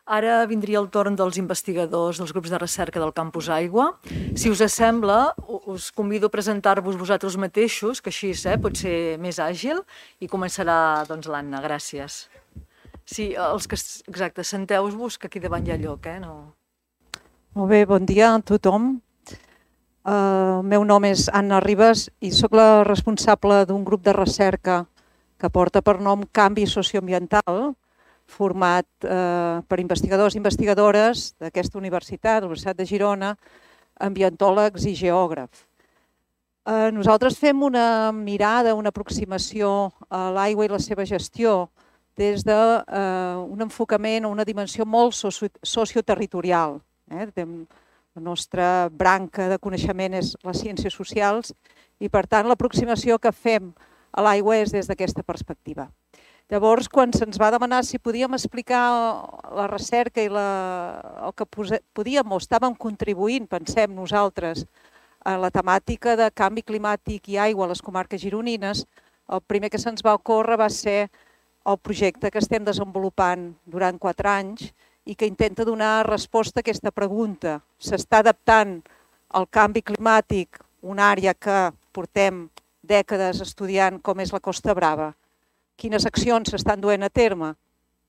Ara vindria el torn dels investigadors dels grups de recerca del Campus Aigua. Si us sembla, us convido a presentar-vos vosaltres mateixos, que així pot ser més àgil, i començarà l'Anna. Gràcies. Sí, exacte, senteu-vos, que aquí davant hi ha lloc, No... Molt bé, bon dia a tothom. El meu nom és Anna Ribas i sóc la responsable d'un grup de recerca que porta per nom Canvi Socioambiental, format per investigadors i investigadores d'aquesta universitat, de la Universitat de Girona, ambientòlegs i geògrafs. Nosaltres fem una mirada, una aproximació a l'aigua i la seva gestió des d'un enfocament o una dimensió molt socioterritorial. La nostra branca de coneixement és les ciències socials i, per tant, l'aproximació que fem a l'aigua és des d'aquesta perspectiva. Llavors, quan se'ns va demanar si podíem explicar la recerca i el que podíem o estàvem contribuint, pensem nosaltres, a la temàtica de canvi climàtic i aigua a les comarques gironines, el primer que se'ns va ocórrer va ser el projecte que estem desenvolupant durant 4 anys i que intenta donar resposta a aquesta pregunta. S'està adaptant al canvi climàtic, una àrea que portem dècades estudiant com és la Costa Brava. Quines accions s'estan duent a terme?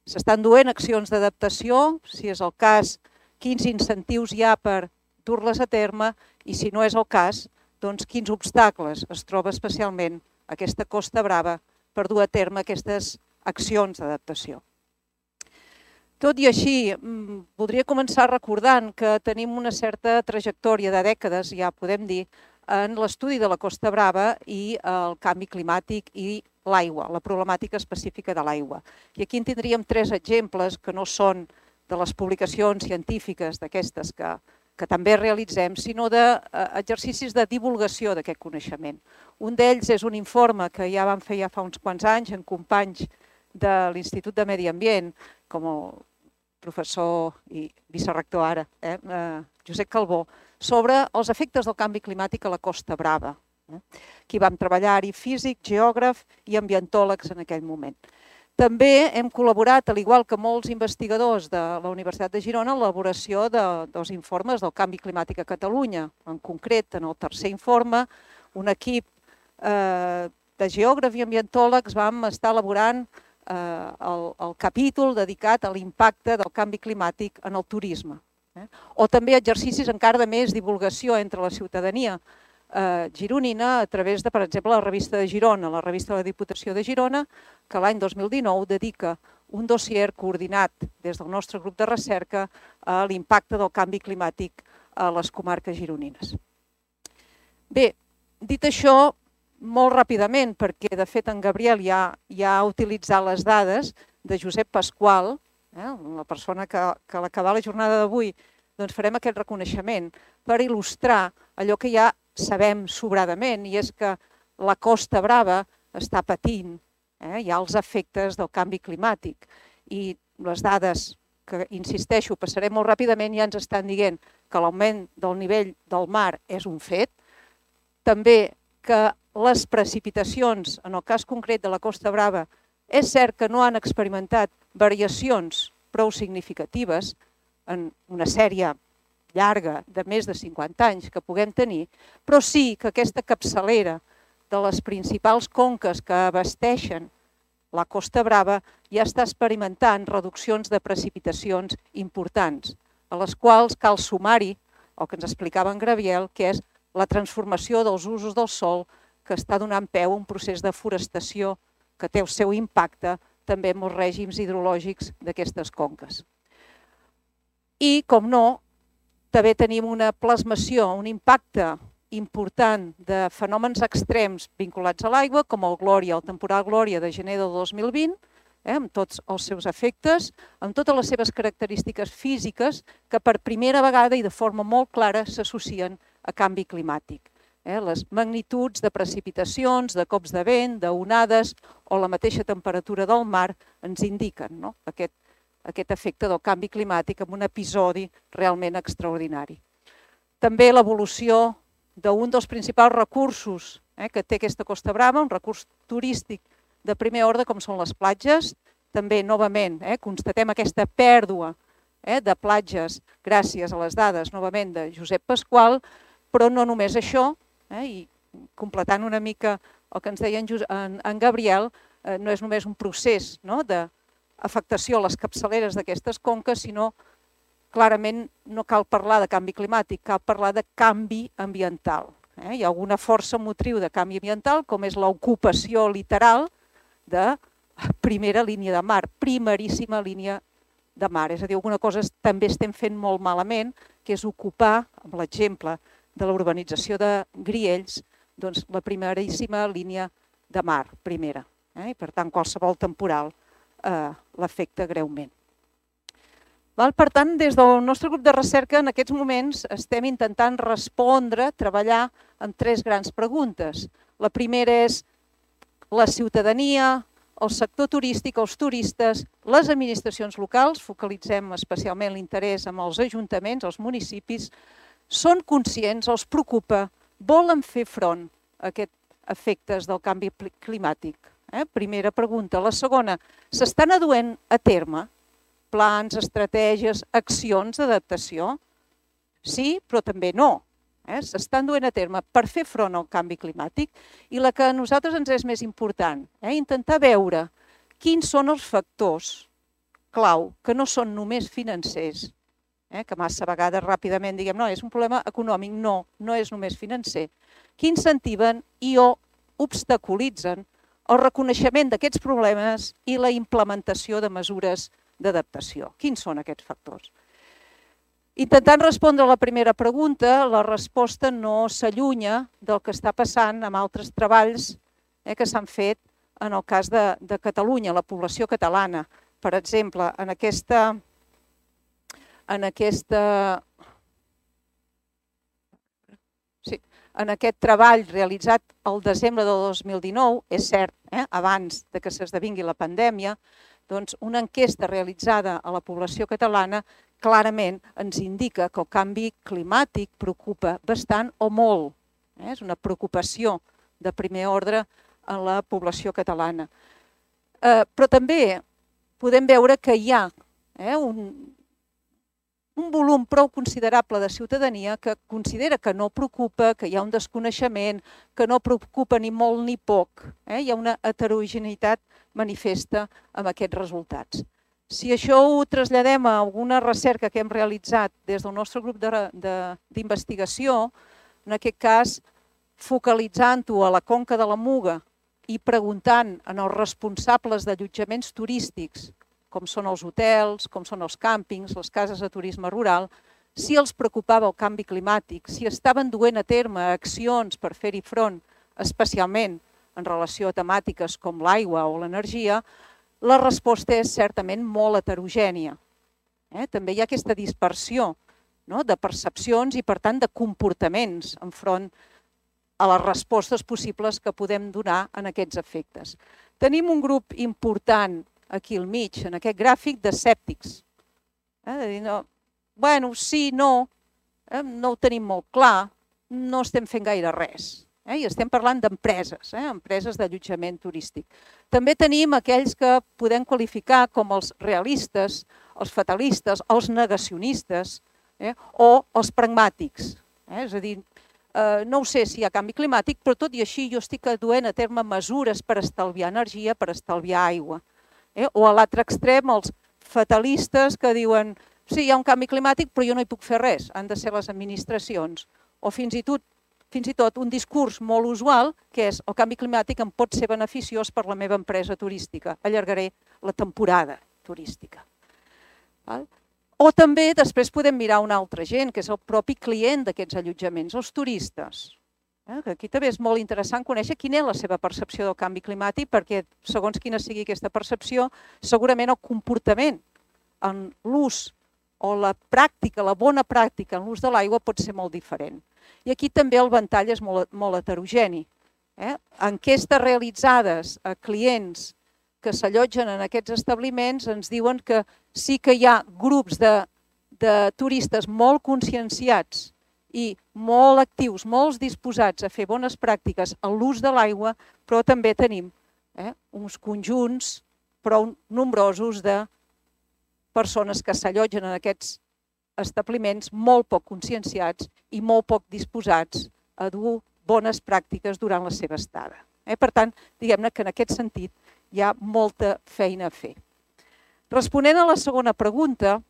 S'estan duent accions d'adaptació, si és el cas, quins incentius hi ha per dur-les a terme i, si no és el cas, doncs quins obstacles es troba especialment aquesta Costa Brava per dur a terme aquestes accions d'adaptació. Tot i així, voldria començar recordant que tenim una certa trajectòria de dècades, ja podem dir, en l'estudi de la Costa Brava i el canvi climàtic i l'aigua, la problemàtica específica de l'aigua. I aquí en tindríem 3 exemples que no són de les publicacions científiques d'aquestes que també realitzem, sinó d'exercicis de divulgació d'aquest coneixement. Un d'ells és un informe que ja vam fer ja fa uns quants anys en companys de l'Institut de Medi Ambient, com el professor i vicerector ara, Josep Calbó, sobre els efectes del canvi climàtic a la Costa Brava. Aquí vam treballar-hi físic, geògraf i ambientòlegs en aquell moment. També hem col·laborat, al igual que molts investigadors de la Universitat de Girona, en l'elaboració dels informes del canvi climàtic a Catalunya. En concret, en el tercer informe, un equip de geògrafs i ambientòlegs vam estar elaborant el capítol dedicat a l'impacte del canvi climàtic en el turisme. O també exercicis encara de més divulgació entre la ciutadania gironina a través de, per exemple, la revista de Girona, la revista de la Diputació de Girona, que l'any 2019 dedica un dossier coordinat des del nostre grup de recerca a l'impacte del canvi climàtic a les comarques gironines. Bé, dit això, molt ràpidament, perquè de fet en Gabriel ja ha utilitzat les dades de Josep Pasqual, la persona que a l'acabar la jornada d'avui farem aquest reconeixement per il·lustrar allò que ja sabem sobradament, i és que la Costa Brava està patint ja els efectes del canvi climàtic. I les dades, que insisteixo, passarem molt ràpidament, ja ens estan dient que l'augment del nivell del mar és un fet, també que les precipitacions, en el cas concret de la Costa Brava, és cert que no han experimentat variacions prou significatives en una sèrie llarga de més de 50 anys que puguem tenir, però sí que aquesta capçalera de les principals conques que abasteixen la Costa Brava ja està experimentant reduccions de precipitacions importants, a les quals cal sumar-hi el que ens explicava en Gabriel, que és la transformació dels usos del sòl que està donant peu a un procés de forestació que té el seu impacte també en els règims hidrològics d'aquestes conques. I, com no, també tenim una plasmació, un impacte important de fenòmens extrems vinculats a l'aigua, com el Glòria, el temporal Glòria de gener del 2020, amb tots els seus efectes, amb totes les seves característiques físiques que per primera vegada i de forma molt clara s'associen a canvi climàtic. Les magnituds de precipitacions, de cops de vent, d'onades o la mateixa temperatura del mar ens indiquen aquest efecte del canvi climàtic amb un episodi realment extraordinari. També l'evolució d'un dels principals recursos que té aquesta Costa Brava, un recurs turístic de primer ordre com són les platges. També, novament, constatem aquesta pèrdua de platges gràcies a les dades, novament, de Josep Pasqual, però no només això, i completant una mica el que ens deia en Gabriel, no és només un procés d'afectació a les capçaleres d'aquestes conques, sinó clarament no cal parlar de canvi climàtic, cal parlar de canvi ambiental. Hi ha alguna força motriu de canvi ambiental, com és l'ocupació literal de primera línia de mar, primeríssima línia de mar. És a dir, alguna cosa també estem fent molt malament, que és ocupar, amb l'exemple de la urbanització de Griells, doncs la primeríssima línia de mar, primera. I per tant, qualsevol temporal l'afecta greument. Per tant, des del nostre grup de recerca, en aquests moments estem intentant respondre, treballar en 3 grans preguntes. La primera és la ciutadania, el sector turístic, els turistes, les administracions locals, focalitzem especialment l'interès en els ajuntaments, els municipis, són conscients, els preocupa, volen fer front a aquests efectes del canvi climàtic. Primera pregunta. La segona, s'estan aduent a terme plans, estratègies, accions d'adaptació? Sí, però també no. S'estan duent a terme per fer front al canvi climàtic i la que a nosaltres ens és més important, intentar veure quins són els factors clau que no són només financers, que massa vegades ràpidament diguem no, és un problema econòmic, no és només financer, que incentiven i o obstaculitzen el reconeixement d'aquests problemes i la implementació de mesures d'adaptació. Quins són aquests factors? Intentant respondre a la primera pregunta, la resposta no s'allunya del que està passant amb altres treballs que s'han fet en el cas de Catalunya, la població catalana. Per exemple, en aquest treball realitzat el desembre del 2019, és cert, abans que s'esdevingui la pandèmia, doncs una enquesta realitzada a la població catalana clarament ens indica que el canvi climàtic preocupa bastant o molt. És una preocupació de primer ordre en la població catalana. Però també podem veure que hi ha un volum prou considerable de ciutadania que considera que no preocupa, que hi ha un desconeixement, que no preocupa ni molt ni poc. Hi ha una heterogeneïtat manifesta amb aquests resultats. Si això ho traslladem a alguna recerca que hem realitzat des del nostre grup d'investigació, en aquest cas focalitzant-ho a la conca de la Muga i preguntant als responsables d'allotjaments turístics, com són els hotels, com són els càmpings, les cases de turisme rural, si els preocupava el canvi climàtic, si estaven duent a terme accions per fer-hi front, especialment en relació a temàtiques com l'aigua o l'energia, la resposta és certament molt heterogènia. També hi ha aquesta dispersió de percepcions i, per tant, de comportaments enfront a les respostes possibles que podem donar en aquests efectes. Tenim un grup important aquí al mig, en aquest gràfic, d'escèptics. De dir, bueno, sí, no ho tenim molt clar, no estem fent gaire res. I estem parlant d'empreses, empreses d'allotjament turístic. També tenim aquells que podem qualificar com els realistes, els fatalistes, els negacionistes o els pragmàtics. És a dir, no ho sé si hi ha canvi climàtic, però tot i així jo estic duent a terme mesures per estalviar energia, per estalviar aigua. O a l'altre extrem, els fatalistes que diuen sí, hi ha un canvi climàtic, però jo no hi puc fer res, han de ser les administracions. O fins i tot un discurs molt usual, que és el canvi climàtic em pot ser beneficiós per la meva empresa turística, allargaré la temporada turística. O també després podem mirar una altra gent, que és el propi client d'aquests allotjaments, els turistes. Aquí també és molt interessant conèixer quina és la seva percepció del canvi climàtic, perquè segons quina sigui aquesta percepció, segurament el comportament en l'ús o la pràctica, la bona pràctica en l'ús de l'aigua pot ser molt diferent. I aquí també el ventall és molt heterogeni. Enquestes realitzades a clients que s'allotgen en aquests establiments ens diuen que sí que hi ha grups de turistes molt conscienciats i molt actius, molt disposats a fer bones pràctiques en l'ús de l'aigua, però també tenim uns conjunts prou nombrosos de persones que s'allotgen en aquests establiments molt poc conscienciats i molt poc disposats a dur bones pràctiques durant la seva estada. Per tant, diguem-ne que en aquest sentit hi ha molta feina a fer. Responent a la segona pregunta,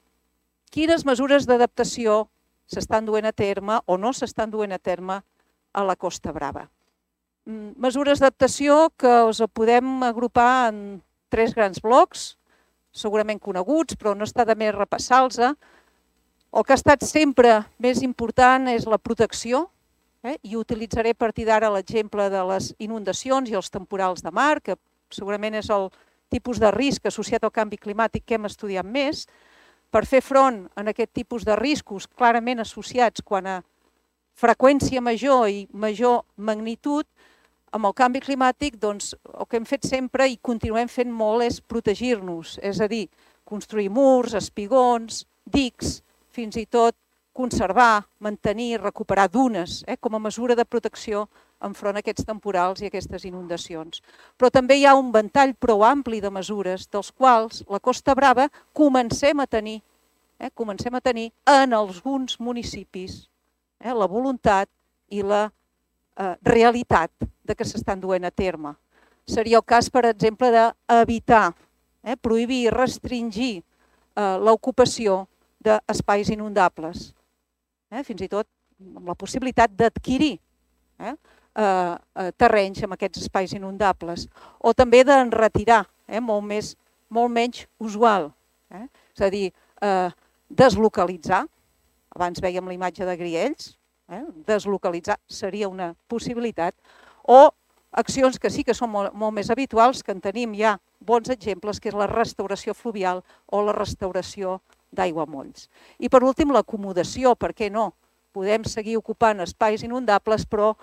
quines mesures d'adaptació s'estan duent a terme o no s'estan duent a terme a la Costa Brava? Mesures d'adaptació que us podem agrupar en 3 grans blocs, segurament coneguts, però no està de més repassar-los. El que ha estat sempre més important és la protecció, i utilitzaré a partir d'ara l'exemple de les inundacions i els temporals de mar, que segurament és el tipus de risc associat al canvi climàtic que hem estudiat més. Per fer front a aquest tipus de riscos clarament associats quan a freqüència major i major magnitud, amb el canvi climàtic, doncs, el que hem fet sempre i continuem fent molt és protegir-nos, és a dir, construir murs, espigons, dics, fins i tot conservar, mantenir, recuperar dunes com a mesura de protecció enfront a aquests temporals i aquestes inundacions. Però també hi ha un ventall prou ampli de mesures dels quals la Costa Brava comencem a tenir en alguns municipis la voluntat i la realitat de que s'estan duent a terme. Seria el cas, per exemple, d'evitar, prohibir i restringir l'ocupació d'espais inundables, fins i tot amb la possibilitat d'adquirir terrenys amb aquests espais inundables, o també d'enretirar, molt menys usual, és a dir, deslocalitzar, abans vèiem la imatge de Griells, deslocalitzar seria una possibilitat, o accions que sí que són molt més habituals, que en tenim ja bons exemples, que és la restauració fluvial o la restauració d'aiguamolls. I per últim, l'acomodació, per què no? Podem seguir ocupant espais inundables, però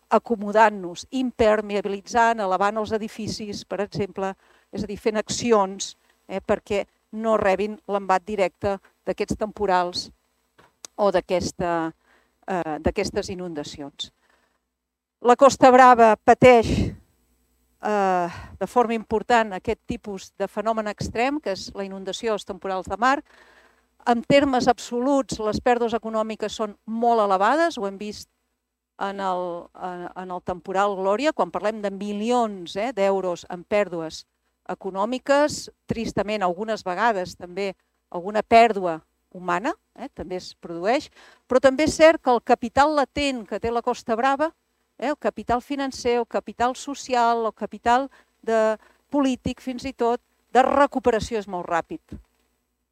acomodant-nos, impermeabilitzant, elevant els edificis, per exemple, és a dir, fent accions perquè no rebin l'embat directe d'aquests temporals o d'aquestes inundacions. La Costa Brava pateix de forma important aquest tipus de fenomen extrem, que és la inundació dels temporals de mar. En termes absoluts, les pèrdues econòmiques són molt elevades, ho hem vist en el temporal Glòria, quan parlem de milions d'euros en pèrdues econòmiques, tristament algunes vegades també alguna pèrdua humana també es produeix, però també és cert que el capital latent que té la Costa Brava, el capital financer, el capital social, el capital polític fins i tot, de recuperació és molt ràpid.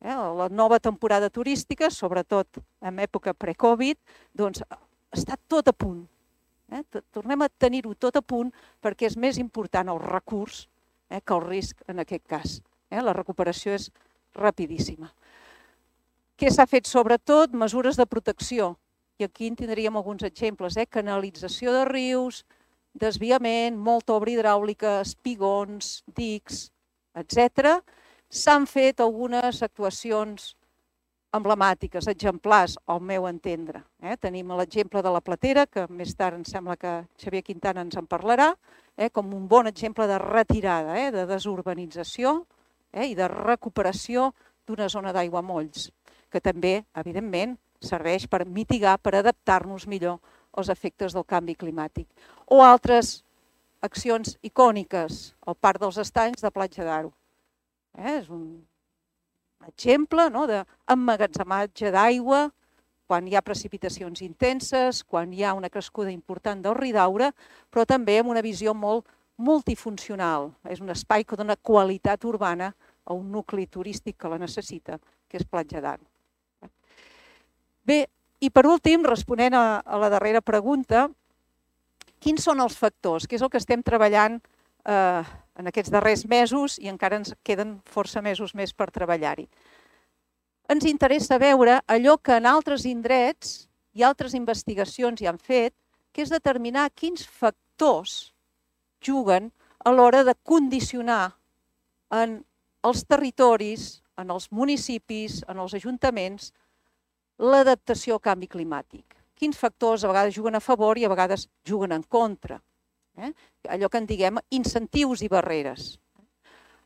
La nova temporada turística, sobretot en època pre-Covid, doncs està tot a punt. Tornem a tenir-ho tot a punt perquè és més important el recurs que el risc en aquest cas. La recuperació és rapidíssima. Què s'ha fet? Sobretot mesures de protecció. I aquí en tindríem alguns exemples. Canalització de rius, desviament, molta obra hidràulica, espigons, dics, etc. S'han fet algunes actuacions emblemàtiques, exemplars, al meu entendre. Tenim l'exemple de la Platera, que més tard em sembla que Xavier Quintana ens en parlarà, com un bon exemple de retirada, de desurbanització i de recuperació d'una zona d'aiguamolls, que també, evidentment, serveix per mitigar, per adaptar-nos millor als efectes del canvi climàtic. O altres accions icòniques, el Parc dels Estanys de Platja d'Aro. És un exemple d'emmagatzematge d'aigua quan hi ha precipitacions intenses, quan hi ha una crescuda important del Ridaura, però també amb una visió molt multifuncional. És un espai que dona qualitat urbana a un nucli turístic que la necessita, que és Platja d'Aro. Bé, i per últim, responent a la darrera pregunta, quins són els factors? Què és el que estem treballant en aquests darrers mesos i encara ens queden força mesos més per treballar-hi? Ens interessa veure allò que en altres indrets i altres investigacions hi han fet, que és determinar quins factors juguen a l'hora de condicionar en els territoris, en els municipis, en els ajuntaments, l'adaptació al canvi climàtic. Quins factors a vegades juguen a favor i a vegades juguen en contra. Allò que en diguem incentius i barreres.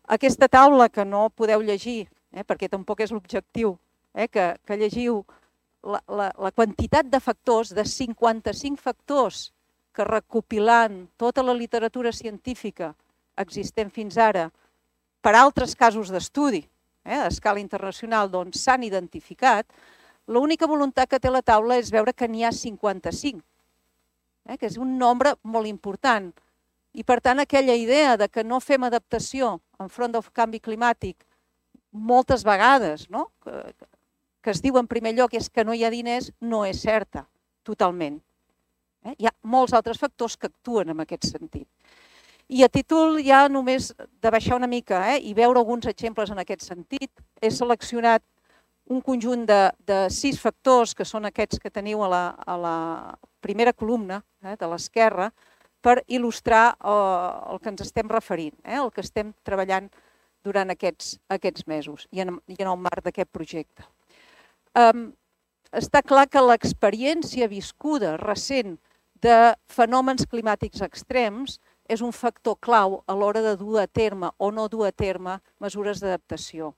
Aquesta taula que no podeu llegir perquè tampoc és l'objectiu, que llegiu la quantitat de factors, de 55 factors que recopilant tota la literatura científica existent fins ara per altres casos d'estudi a escala internacional s'han identificat, l'única voluntat que té la taula és veure que n'hi ha 55, que és un nombre molt important. I per tant aquella idea de que no fem adaptació enfront del canvi climàtic moltes vegades, que es diu en primer lloc és que no hi ha diners, no és certa, totalment. Hi ha molts altres factors que actuen en aquest sentit. I a títol ja només de baixar una mica i veure alguns exemples en aquest sentit, he seleccionat un conjunt de 6 factors, que són aquests que teniu a la primera columna de l'esquerra, per il·lustrar el que ens estem referint, el que estem treballant durant aquests mesos i en el marc d'aquest projecte. Està clar que l'experiència viscuda recent de fenòmens climàtics extrems és un factor clau a l'hora de dur a terme o no dur a terme mesures d'adaptació.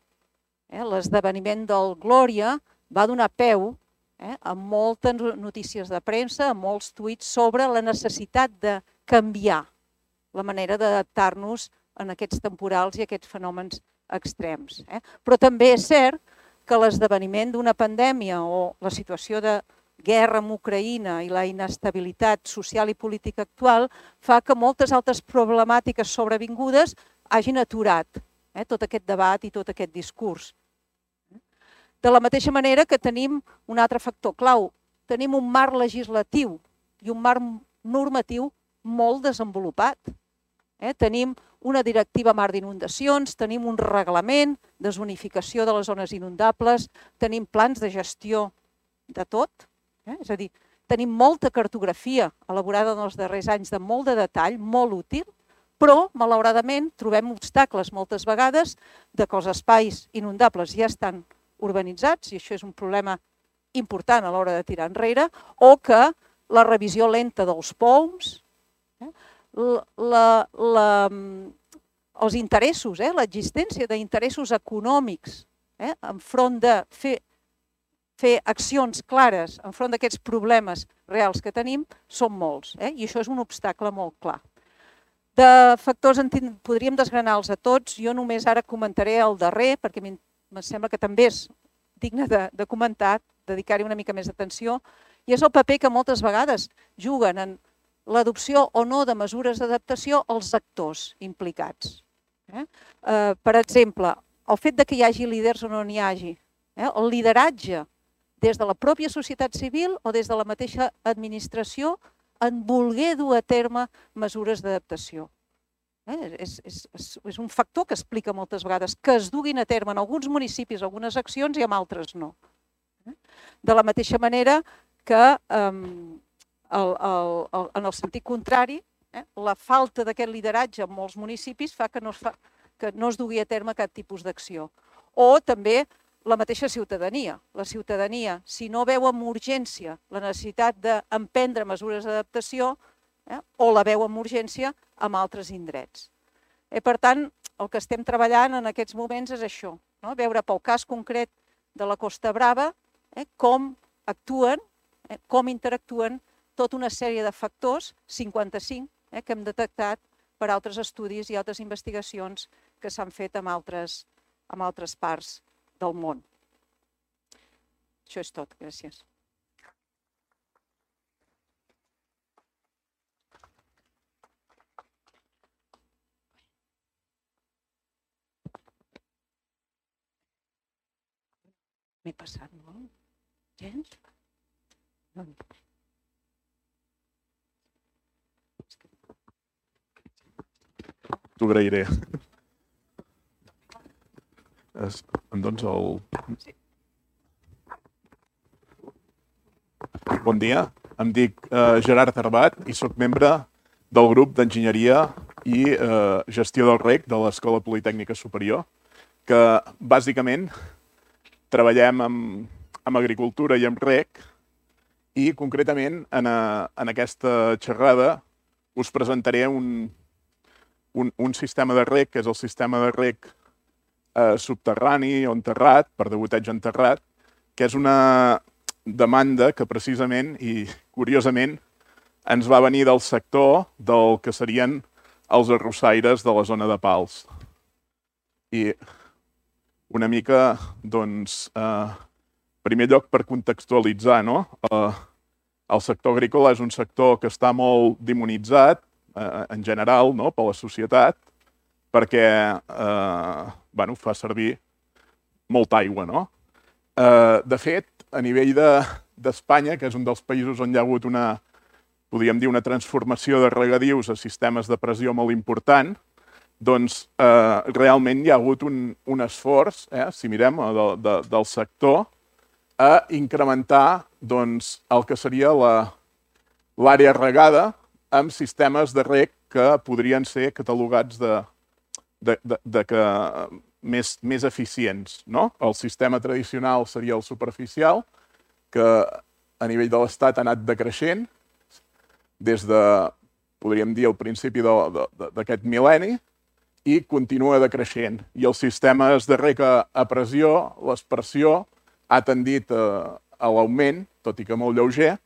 L'esdeveniment del Glòria va donar peu a moltes notícies de premsa, a molts tuits sobre la necessitat de canviar la manera d'adaptar-nos en aquests temporals i aquests fenòmens extrems. Però també és cert que l'esdeveniment d'una pandèmia o la situació de guerra amb Ucraïna i la inestabilitat social i política actual fa que moltes altres problemàtiques sobrevingudes hagin aturat tot aquest debat i tot aquest discurs. De la mateixa manera que tenim un altre factor clau, tenim un marc legislatiu i un marc normatiu molt desenvolupat. Tenim una directiva marc d'inundacions, tenim un reglament de zonificació de les zones inundables, tenim plans de gestió de tot, és a dir, tenim molta cartografia elaborada en els darrers anys de molt de detall, molt útil, però malauradament trobem obstacles moltes vegades de que els espais inundables ja estan urbanitzats, i això és un problema important a l'hora de tirar enrere, o que la revisió lenta dels POUMs, els interessos, l'existència d'interessos econòmics enfront de fer accions clares enfront d'aquests problemes reals que tenim són molts, i això és un obstacle molt clar. De factors podríem desgranar-los a tots, jo només ara comentaré el darrer, perquè em sembla que també és digne de comentar, dedicar-hi una mica més d'atenció, i és el paper que moltes vegades juguen en l'adopció o no de mesures d'adaptació als actors implicats. Per exemple, el fet que hi hagi líders o no n'hi hagi, el lideratge des de la pròpia societat civil o des de la mateixa administració en voler dur a terme mesures d'adaptació. És un factor que explica moltes vegades que es duguin a terme en alguns municipis algunes accions i en altres no. De la mateixa manera que en el sentit contrari, la falta d'aquest lideratge en molts municipis fa que no es dugui a terme cap tipus d'acció. O també la mateixa ciutadania. La ciutadania, si no veu amb urgència la necessitat d'emprendre mesures d'adaptació, o la veu amb urgència en altres indrets. Per tant, el que estem treballant en aquests moments és això, veure pel cas concret de la Costa Brava com actuen, com interactuen tota una sèrie de factors, 55, que hem detectat per altres estudis i altres investigacions que s'han fet en altres parts del món. Això és tot, gràcies. M'he passat molt? Gens? T'ho agrairé. Em dones el... Bon dia, em dic Gerard Arbat i soc membre del grup d'Enginyeria i Gestió del REC de l'Escola Politècnica Superior, que bàsicament treballem amb agricultura i amb REC i concretament en aquesta xerrada us presentaré un sistema de REC, que és el sistema de REC subterrani o enterrat, per degoteig enterrat, que és una demanda que precisament i curiosament ens va venir del sector del que serien els arrossaires de la zona de Pals. I una mica, doncs, en primer lloc per contextualitzar, no? El sector agrícola és un sector que està molt demonitzat, en general, no? Per la societat, perquè fa servir molta aigua, no? De fet, a nivell d'Espanya, que és un dels països on hi ha hagut podríem dir, una transformació de regadius a sistemes de pressió molt important, doncs realment hi ha hagut un esforç, si mirem, del sector, a incrementar el que seria l'àrea regada amb sistemes de reg que podrien ser catalogats més eficients. El sistema tradicional seria el superficial, que a nivell de l'Estat ha anat decreixent des de, podríem dir, el principi d'aquest mil·lenni, i continua decreixent. I els sistemes de reg a pressió, l'aspersió, ha tendit a l'augment, tot i que molt lleuger,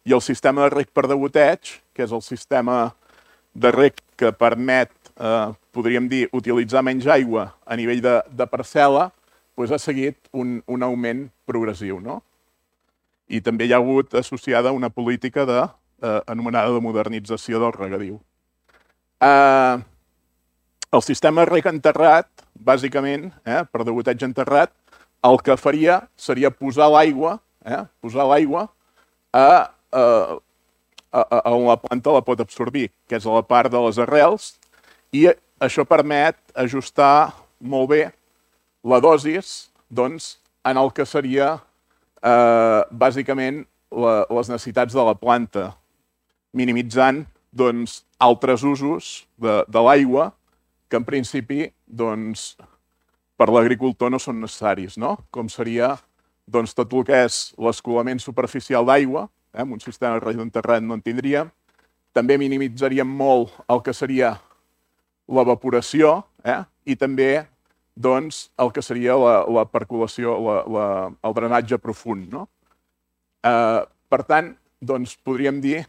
i el sistema de reg per degoteig, que és el sistema de reg que permet, podríem dir, utilitzar menys aigua a nivell de parcel·la, ha seguit un augment progressiu. I també hi ha hagut associada una política anomenada de modernització del regadiu. El sistema de reg enterrat, bàsicament, per degoteig enterrat, el que faria seria posar l'aigua on la planta la pot absorbir, que és a la part de les arrels, i això permet ajustar molt bé la dosis en el que seria bàsicament les necessitats de la planta, minimitzant altres usos de l'aigua que en principi per l'agricultor no són necessaris, com seria tot el que és l'escolament superficial d'aigua, amb un sistema de reg enterrat no en tindríem, també minimitzaríem molt el que seria l'evaporació i també el que seria la percolació, el drenatge profund. Per tant, podríem dir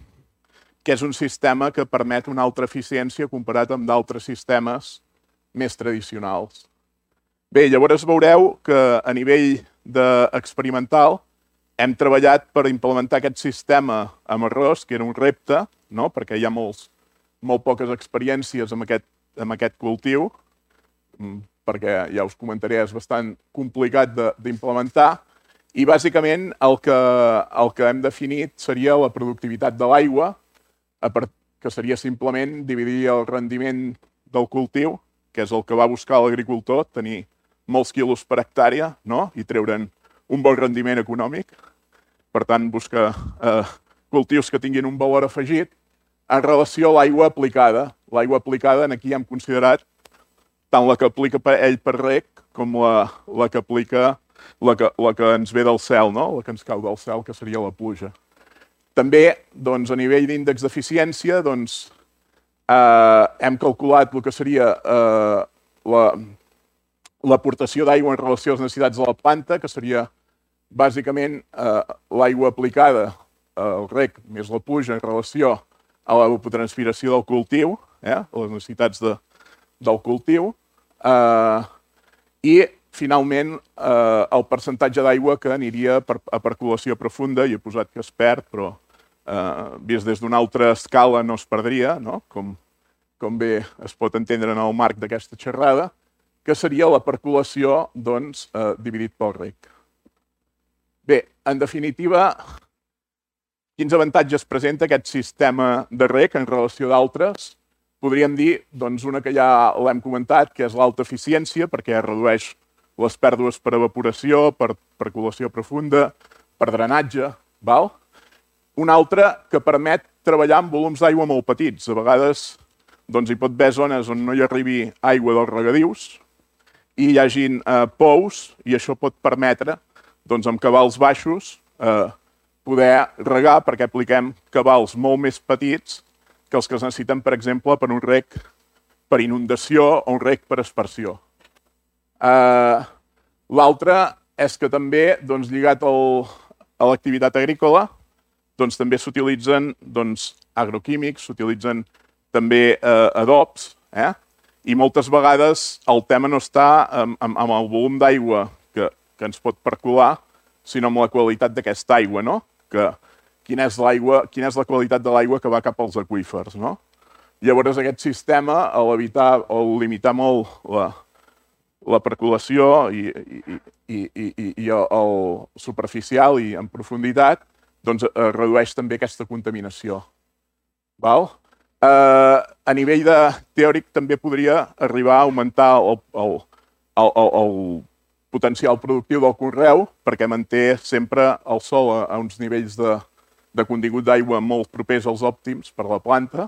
que és un sistema que permet una altra eficiència comparat amb d'altres sistemes més tradicionals. Bé, llavors veureu que a nivell experimental hem treballat per implementar aquest sistema amb arròs, que era un repte, perquè hi ha molt poques experiències amb aquest cultiu, perquè ja us comentaré, és bastant complicat d'implementar, i bàsicament el que hem definit seria la productivitat de l'aigua, que seria simplement dividir el rendiment del cultiu, que és el que va buscar l'agricultor, tenir molts quilos per hectàrea i treure'n un bon rendiment econòmic. Per tant, buscar cultius que tinguin un valor afegit en relació a l'aigua aplicada. L'aigua aplicada, aquí hem considerat tant la que aplica ell per reg com la que aplica la que ens ve del cel, la que ens cau del cel, que seria la pluja. També, a nivell d'índex d'eficiència, hem calculat el que seria l'aportació d'aigua en relació a les necessitats de la planta, que seria bàsicament l'aigua aplicada al reg més la pluja en relació a l'evapotranspiració del cultiu, a les necessitats del cultiu, i finalment el percentatge d'aigua que aniria a percolació profunda, i he posat que es perd, però vist des d'una altra escala no es perdria, com bé es pot entendre en el marc d'aquesta xerrada, que seria la percolació dividit pel reg. Bé, en definitiva, quins avantatges presenta aquest sistema de reg en relació d'altres? Podríem dir, una que ja l'hem comentat, que és l'alta eficiència, perquè redueix les pèrdues per evaporació, per percolació profunda, per drenatge. Una altra que permet treballar amb volums d'aigua molt petits. A vegades hi pot haver zones on no hi arribi aigua dels regadius i hi hagin pous, i això pot permetre, amb cabals baixos, poder regar, perquè apliquem cabals molt més petits que els que es necessiten, per exemple, per un reg per inundació o un reg per aspersió. L'altre és que també, lligat a l'activitat agrícola, també s'utilitzen agroquímics, s'utilitzen també adobs, i moltes vegades el tema no està amb el volum d'aigua que ens pot percolar, sinó amb la qualitat d'aquesta aigua, no? Quina és la qualitat de l'aigua que va cap als aqüífers, no? Llavors aquest sistema, al limitar molt la percolació i el superficial i en profunditat, redueix també aquesta contaminació. A nivell teòric també podria arribar a augmentar el potencial productiu del conreu perquè manté sempre el sòl a uns nivells de contingut d'aigua molt propers als òptims per la planta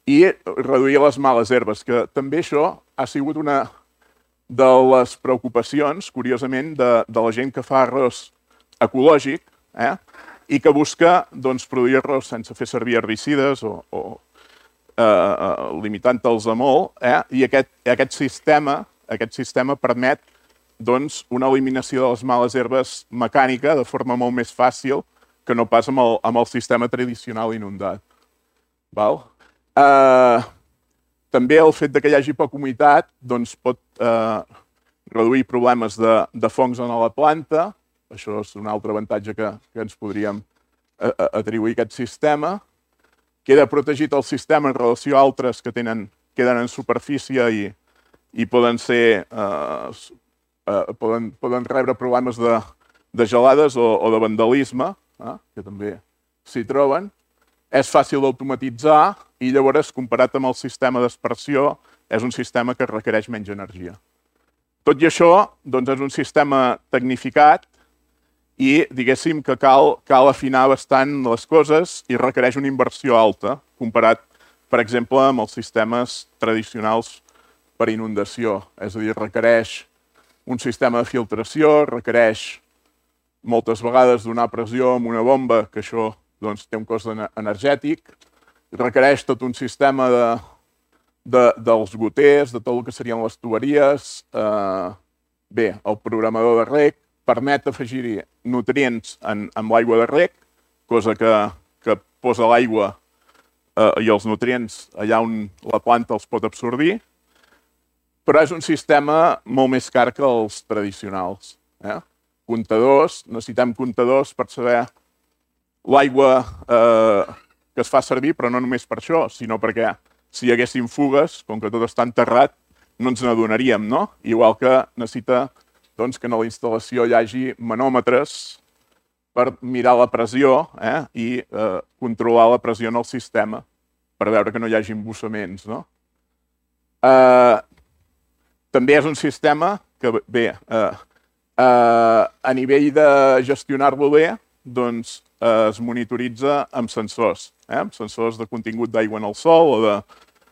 i reduir les males herbes, que també això ha sigut una de les preocupacions, curiosament, de la gent que fa arròs ecològic i que busca produir arròs sense fer servir herbicides o limitant-te'ls a molt, i aquest sistema permet una eliminació de les males herbes mecànica de forma molt més fàcil que no pas amb el sistema tradicional inundat. També el fet que hi hagi poca humitat pot reduir problemes de fongs en la planta. Això és un altre avantatge que ens podríem atribuir a aquest sistema. Queda protegit el sistema en relació a altres que queden en superfície i poden rebre problemes de gelades o de vandalisme, que també s'hi troben. És fàcil d'automatitzar i llavors, comparat amb el sistema d'aspersió, és un sistema que requereix menys energia. Tot i això, és un sistema tecnificat i diguéssim que cal afinar bastant les coses i requereix una inversió alta, comparat, per exemple, amb els sistemes tradicionals per inundació. És a dir, requereix un sistema de filtració, requereix moltes vegades donar pressió amb una bomba, que això té un cost energètic, requereix tot un sistema dels goters, de tot el que serien les tuberies. Bé, el programador de reg permet afegir-hi nutrients en l'aigua de reg, cosa que posa l'aigua i els nutrients allà on la planta els pot absorbir, però és un sistema molt més car que els tradicionals. Comptadors, necessitem comptadors per saber l'aigua que es fa servir, però no només per això, sinó perquè si hi haguessin fugues, com que tot està enterrat, no ens n'adonaríem, no? Igual que necessita que a la instal·lació hi hagi manòmetres per mirar la pressió i controlar la pressió en el sistema per veure que no hi hagi embussaments. També és un sistema que, bé, a nivell de gestionar-lo bé, es monitoritza amb sensors de contingut d'aigua en el sòl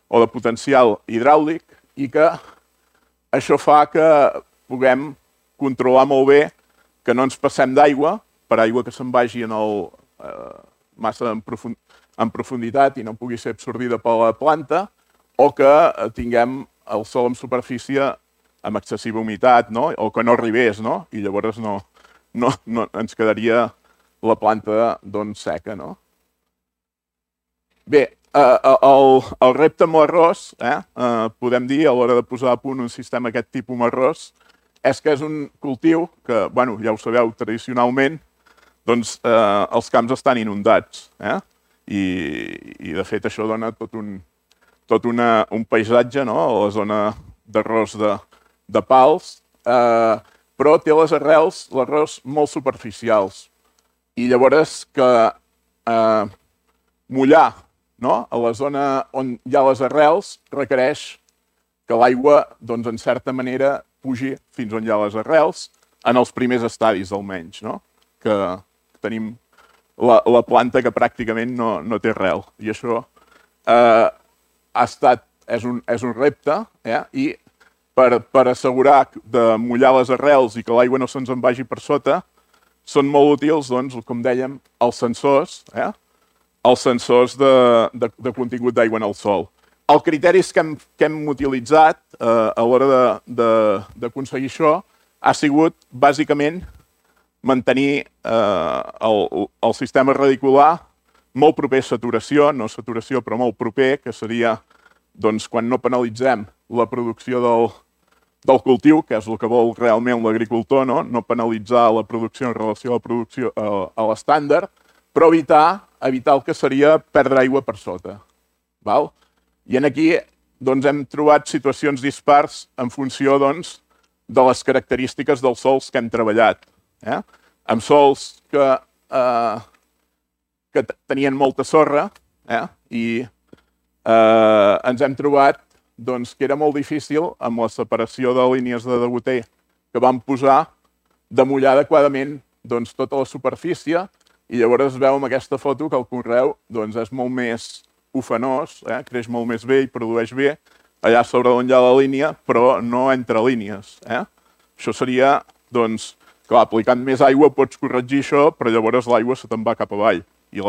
o de potencial hidràulic, i que això fa que puguem controlar molt bé que no ens passem d'aigua per aigua que se'n vagi massa en profunditat i no pugui ser absorbida per la planta, o que tinguem el sòl en superfície amb excessiva humitat, o que no arribés, i llavors ens quedaria la planta seca. Bé, el repte amb l'arròs, podem dir, a l'hora de posar a punt un sistema aquest tipus amb arròs, és que és un cultiu que, ja ho sabeu, tradicionalment, els camps estan inundats. I, de fet, això dona tot un paisatge, a la zona d'arròs de pals, però té les arrels, l'arròs, molt superficials. I llavors que mullar a la zona on hi ha les arrels requereix que l'aigua, en certa manera, pugi fins on hi ha les arrels, en els primers estadis almenys, que tenim la planta que pràcticament no té arrel. I això és un repte, i per assegurar de mullar les arrels i que l'aigua no se'ns en vagi per sota, són molt útils, com dèiem, els sensors de contingut d'aigua en el sòl. Els criteris que hem utilitzat a l'hora d'aconseguir això ha sigut, bàsicament, mantenir el sistema radicular molt proper a saturació, no saturació, però molt proper, que seria quan no penalitzem la producció del cultiu, que és el que vol realment l'agricultor, no penalitzar la producció en relació a la producció a l'estàndard, però evitar el que seria perdre aigua per sota. I aquí hem trobat situacions dispars en funció de les característiques dels sòls que hem treballat. Amb sòls que tenien molta sorra i ens hem trobat que era molt difícil, amb la separació de línies de degoter que vam posar, de mullar adequadament tota la superfície, i llavors es veu en aquesta foto que el conreu és molt més ufanós, creix molt més bé i produeix bé allà sobre on hi ha la línia, però no entre línies. Això seria, clar, aplicant més aigua pots corregir això, però llavors l'aigua se te'n va cap avall. I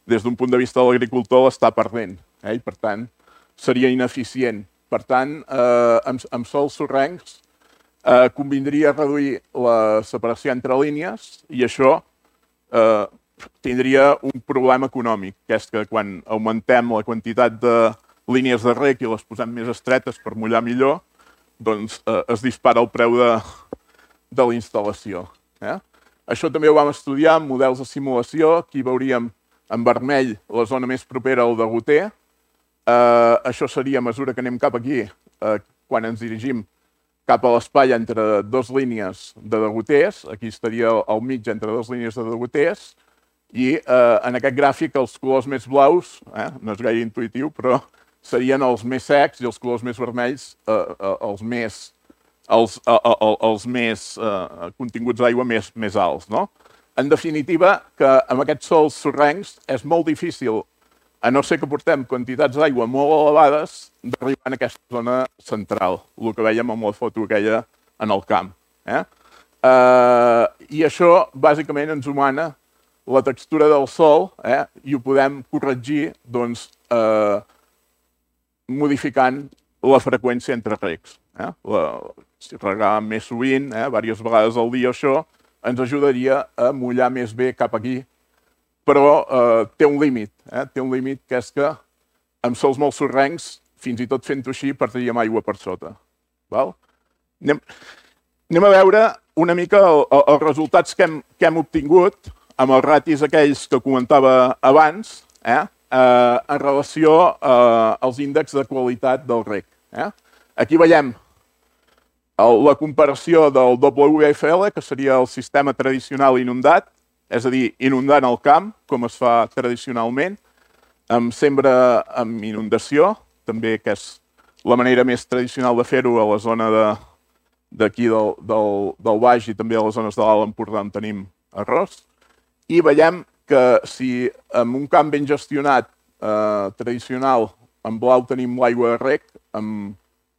des d'un punt de vista de l'agricultor l'està perdent, i per tant seria ineficient. Per tant, amb sòls sorrencs convindria reduir la separació entre línies i això tindria un problema econòmic, que és que quan augmentem la quantitat de línies de reg i les posem més estretes per mullar millor, es dispara el preu de la instal·lació. Això també ho vam estudiar en models de simulació. Aquí veuríem en vermell la zona més propera al degoter. Això seria, a mesura que anem cap aquí, quan ens dirigim cap a l'espai entre dues línies de degoters. Aquí estaria al mig entre dues línies de degoters. I en aquest gràfic els colors més blaus, no és gaire intuïtiu, però serien els més secs i els colors més vermells els més continguts d'aigua més alts. En definitiva, que amb aquests sòls sorrencs és molt difícil, a no ser que portem quantitats d'aigua molt elevades, d'arribar a aquesta zona central, el que vèiem amb la foto aquella en el camp. I això, bàsicament, ens humana la textura del sòl i ho podem corregir modificant la freqüència entre regs. Si regar més sovint, diverses vegades al dia, això ens ajudaria a mullar més bé cap aquí, però té un límit. Té un límit que és que amb sòls molt sorrencs, fins i tot fent-ho així, perdríem aigua per sota. Anem a veure una mica els resultats que hem obtingut amb els ratis aquells que comentava abans, en relació als índexs de qualitat del reg. Aquí veiem la comparació del WFL, que seria el sistema tradicional inundat, és a dir, inundant el camp, com es fa tradicionalment, amb sembra amb inundació, també que és la manera més tradicional de fer-ho a la zona d'aquí del Baix i també a les zones de l'Alt Empordà on tenim arròs. I veiem que si en un camp ben gestionat tradicional, en blau tenim l'aigua de reg, amb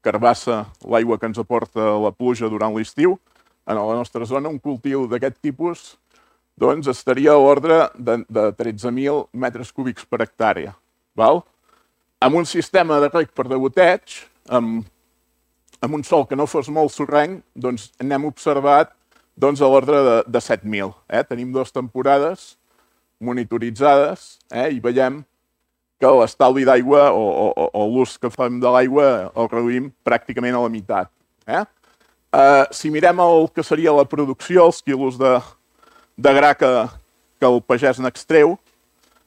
carbassa l'aigua que ens aporta la pluja durant l'estiu, en la nostra zona un cultiu d'aquest tipus estaria a l'ordre de 13.000 metres cúbics per hectàrea. Amb un sistema de reg per degoteig, amb un sòl que no fos molt sorrenc, n'hem observat a l'ordre de 7.000. Tenim 2 temporades monitoritzades i veiem que l'estalvi d'aigua o l'ús que fem de l'aigua el reduïm pràcticament a la meitat. Si mirem el que seria la producció, els quilos de gra que el pagès n'extreu,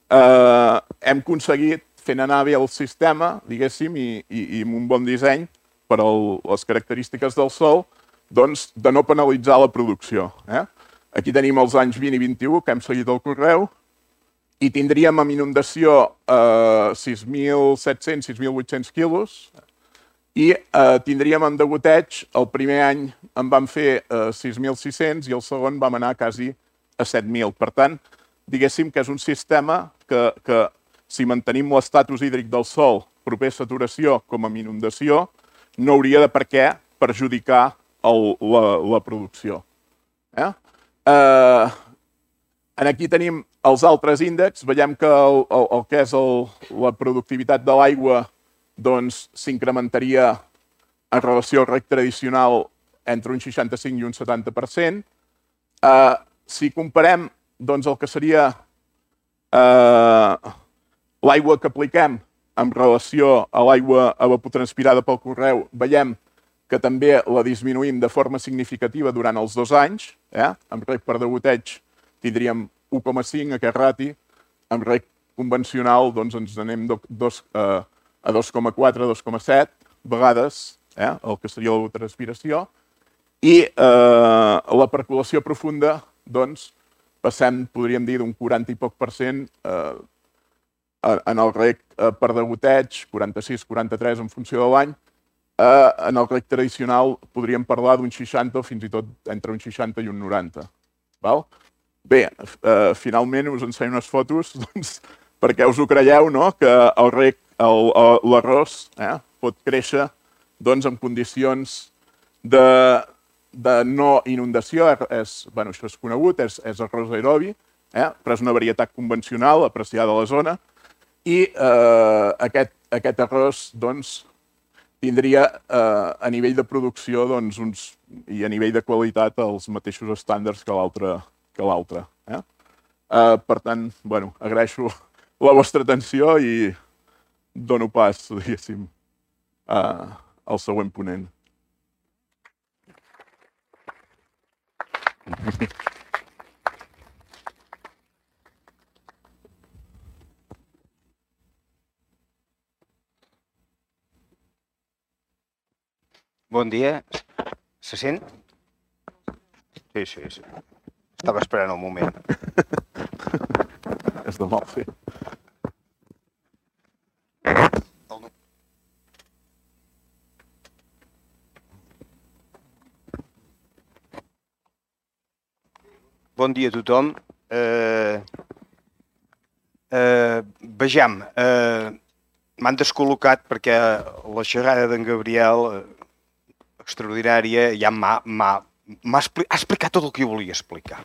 hem aconseguit, fent anar bé el sistema, diguéssim, i amb un bon disseny per a les característiques del sòl, de no penalitzar la producció. Aquí tenim els anys 20 i 21, que hem seguit el correu, i tindríem amb inundació 6.700, 6.800 quilos, i tindríem amb degoteig, el primer any en vam fer 6.600 i el segon vam anar quasi a 7.000. Per tant, diguéssim que és un sistema que si mantenim l'estatus hídric del sòl proper a saturació com a inundació, no hauria de per què perjudicar la producció. Aquí tenim els altres índexs. Veiem que el que és la productivitat de l'aigua doncs s'incrementaria en relació al reg tradicional entre un 65 i un 70%. Si comparem doncs, el que seria l'aigua que apliquem en relació a l'aigua evapotranspirada pel conreu, veiem que també la disminuïm de forma significativa durant els 2 anys. Amb reg per degoteig tindríem 1,5 aquest rati, amb reg convencional doncs, ens anem a 2,4, 2,7 vegades el que seria l'evapotranspiració. I la percolació profunda, doncs, passem, podríem dir, d'un 40 i poc % en el reg per degoteig, 46, 43 en funció de l'any. En el reg tradicional podríem parlar d'un 60 o fins i tot entre un 60 i un 90. Bé, finalment us ensenyo unes fotos perquè us ho creieu, que l'arròs pot créixer en condicions de no inundació. Això és conegut, és arròs aerobi, però és una varietat convencional apreciada a la zona. I aquest arròs tindria a nivell de producció i a nivell de qualitat els mateixos estàndards que l'altre. Per tant, agraeixo la vostra atenció i dono pas, diguéssim, al següent ponent. Bon dia. Se sent? Sí. Estava esperant el moment. És de mal fer. Bon dia a tothom. Vejam, m'han descol·locat perquè la xerrada d'en Gabriel, extraordinària, ja ha explicat tot el que jo volia explicar.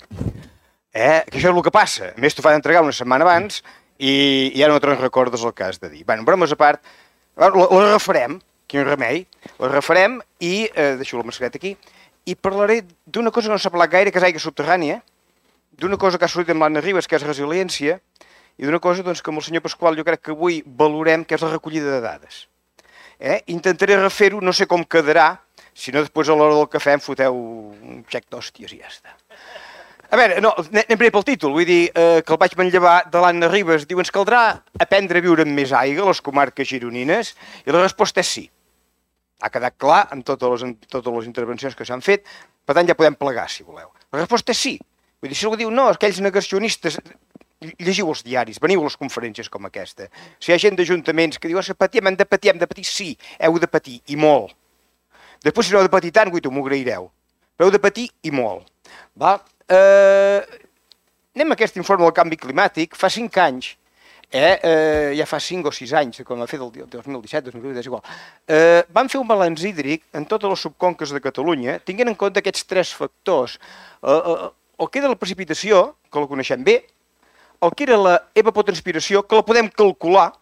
Que això és el que passa. A més, t'ho fan entregar una setmana abans i ja no te'n recordes el que has de dir. Bé, bromes a part, la refarem, quin remei, la refarem i, deixo la mascareta aquí, i parlaré d'una cosa que no s'ha parlat gaire, que és aigua subterrània, d'una cosa que ha sortit amb l'Anna Ribas, que és resiliència, i d'una cosa que amb el senyor Pasqual jo crec que avui valorem, que és la recollida de dades. Intentaré refer-ho, no sé com quedarà, si no després a l'hora del cafè em foteu un xec d'hòsties i ja està. A veure, anem primer pel títol, vull dir que el vaig manllevar de l'Anna Ribas, diu ens caldrà aprendre a viure amb més aigua a les comarques gironines, i la resposta és sí. Ha quedat clar en totes les intervencions que s'han fet, per tant ja podem plegar si voleu. La resposta és sí. Vull dir, si algú diu no, aquells negacionistes, llegiu els diaris, veniu a les conferències com aquesta. Si hi ha gent d'ajuntaments que diu hem de patir, sí, heu de patir, i molt. Després, si no heu de patir tant, m'ho agraireu. Però heu de patir i molt. Anem a aquest informe del canvi climàtic. Fa 5 anys, ja fa 5 o 6 anys, quan va fer del 2017, 2018, és igual, van fer un balanç hídric en totes les subconques de Catalunya, tinguent en compte aquests 3 factors. El que era la precipitació, que la coneixem bé, el que era la evapotranspiració, que la podem calcular,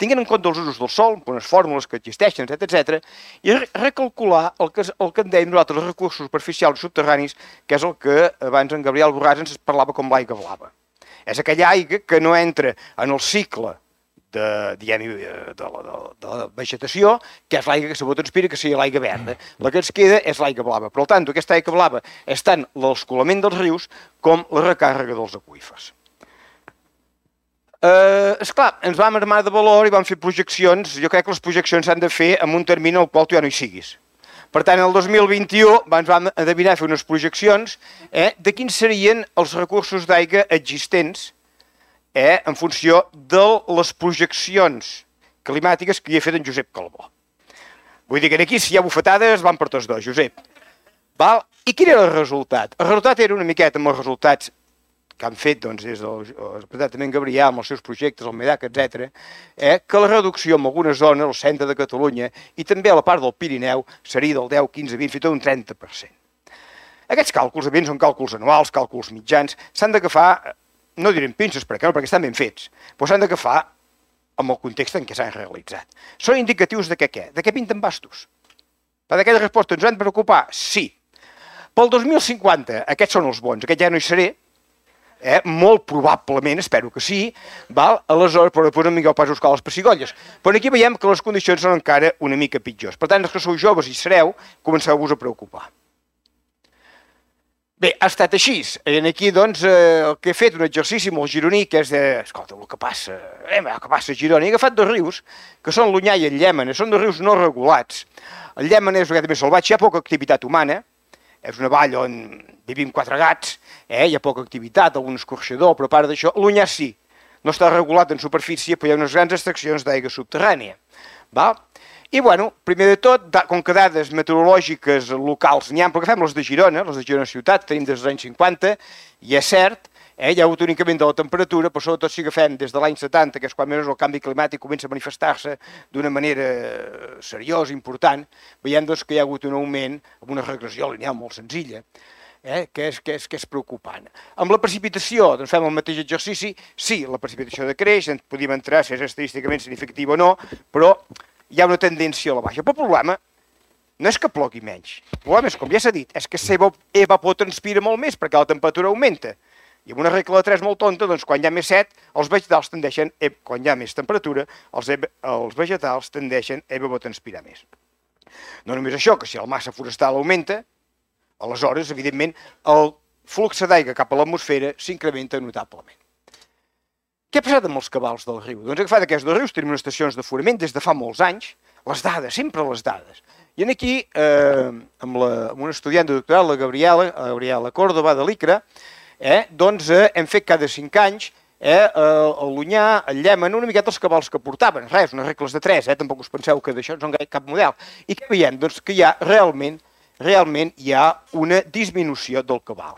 tinguent en compte els usos del sol, unes fórmules que existeixen, etc. I recalcular el que en dèiem nosaltres, els recursos superficials i subterranis, que és el que abans en Gabriel Borràs ens parlava com l'aigua blava. És aquella aigua que no entra en el cicle de la vegetació, que és l'aigua que s'evapotranspira, que seria l'aigua verda. La que ens queda és l'aigua blava. Per tant, aquesta aigua blava és tant l'escolament dels rius com la recàrrega dels aqüífers. Esclar, ens vam armar de valor i vam fer projeccions. Jo crec que les projeccions s'han de fer en un termini en el qual tu ja no hi siguis. Per tant, el 2021 ens vam endevinar a fer unes projeccions de quins serien els recursos d'aigua existents en funció de les projeccions climàtiques que hi ha fet en Josep Calbó. Vull dir que aquí, si hi ha bufetades, van per tots dos, Josep. I quin era el resultat? El resultat era una miqueta amb els resultats que han fet des del Departament Gabriel, amb els seus projectes, el MEDAC, etc., que la reducció en algunes zones, al centre de Catalunya, i també a la part del Pirineu, seria del 10, 15, 20, fins i tot un 30%. Aquests càlculs, evidentment, són càlculs anuals, càlculs mitjans, s'han d'agafar, no direm pinces, perquè no, perquè estan ben fets, però s'han d'agafar amb el context en què s'han realitzat. Són indicatius de què? De què pinten bastos? Per aquella resposta ens hem de preocupar? Sí. Pel 2050, aquests són els bons, aquest ja no hi seré, molt probablement, espero que sí, aleshores, però després no vingueu pas a buscar les pessigolles. Però aquí veiem que les condicions són encara una mica pitjors. Per tant, els que sou joves i sereu, comenceu-vos a preocupar. Bé, ha estat així. I aquí, doncs, el que he fet, un exercici molt gironí, que és de... Escolta, el que passa a Girona. He agafat dos rius, que són l'Onyar i el Llémena. Són dos rius no regulats. El Llémena és una mica més salvatge, hi ha poca activitat humana. És una vall on vivim 4 gats, hi ha poca activitat, algun escorxador, però a part d'això, l'Onyar sí. No està regulat en superfície, però hi ha unes grans extraccions d'aigua subterrània. I, bueno, primer de tot, com que dades meteorològiques locals n'hi ha, però agafem les de Girona ciutat, tenim des dels anys 50, i és cert, hi ha hagut un increment de la temperatura, però sobretot si agafem des de l'any 70, que és quan més el canvi climàtic comença a manifestar-se d'una manera seriosa, important, veiem doncs, que hi ha hagut un augment amb una regressió lineal molt senzilla, que és preocupant. Amb la precipitació, doncs fem el mateix exercici, sí, la precipitació decreix, podríem entrar si és estadísticament significativa o no, però hi ha una tendència a la baixa. Però el problema no és que plogui menys. El problema és, com ja s'ha dit, és que s'evapotranspira molt més perquè la temperatura augmenta. I amb una regla de 3 molt tonta, doncs quan hi ha més set, els vegetals tendeixen, quan hi ha més temperatura, els vegetals tendeixen a evapotranspirar més. No només això, que si la massa forestal augmenta, aleshores, evidentment, el flux d'aigua cap a l'atmosfera s'incrementa notablement. Què ha passat amb els cabals del riu? Doncs he agafat aquests dos rius, tenim unes estacions d'aforament des de fa molts anys, les dades, sempre les dades. I aquí, amb un estudiant de doctorat, la Gabriela Córdoba, de l'ICRA, doncs hem fet cada 5 anys l'Onyar, el Llémena, una miqueta els cabals que portaven, res, unes regles de 3, tampoc us penseu que d'això no és cap model. I què veiem? Doncs que hi ha realment hi ha una disminució del cabal.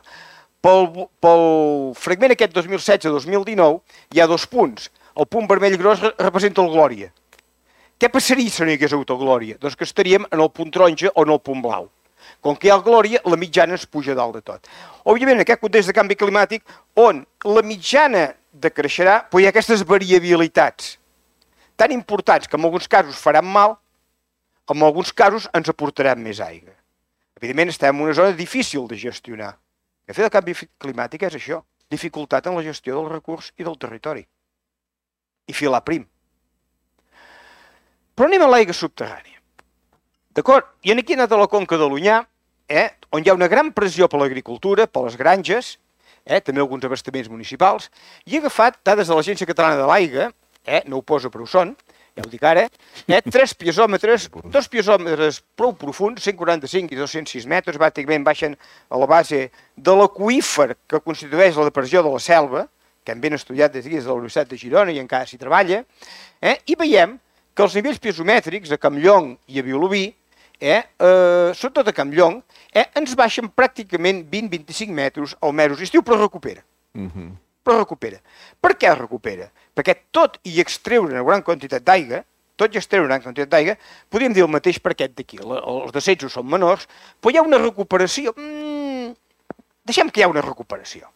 Pel fragment aquest 2016-2019 hi ha 2 punts. El punt vermell gros representa el Glòria. Què passaria si no hi hagués hagut el Glòria? Doncs que estaríem en el punt taronja o en el punt blau. Com que hi ha el Glòria, la mitjana es puja dalt de tot. Òbviament, en aquest context de canvi climàtic, on la mitjana decreixerà, però hi ha aquestes variabilitats tan importants que en alguns casos faran mal, en alguns casos ens aportaran més aigua. Evidentment, estem en una zona difícil de gestionar. El fet del canvi climàtic és això, dificultat en la gestió del recurs i del territori. I filar prim. Però anem a l'aigua subterrània. D'acord? I aquí he anat a la conca de l'Onyar, on hi ha una gran pressió per l'agricultura, per les granges, també alguns abastaments municipals, i he agafat dades de l'Agència Catalana de l'Aigua, no ho poso però ho són, ja ho dic ara, 3 piezòmetres, 2 piezòmetres prou profunds, 145 i 206 metres, bàsicament baixen a la base de l'aqüífer que constitueix la depressió de la Selva, que hem ben estudiat des de la Universitat de Girona i encara s'hi treballa, i veiem que els nivells piezomètrics a Campllong i a Vilobí, sobretot a Campllong, ens baixen pràcticament 20-25 metres al mesos estiu, però recupera. Però recupera. Per què recupera? Perquè tot i extreure una gran quantitat d'aigua, podríem dir el mateix per aquest d'aquí. Els descensos són menors, però hi ha una recuperació. Deixem que hi ha una recuperació.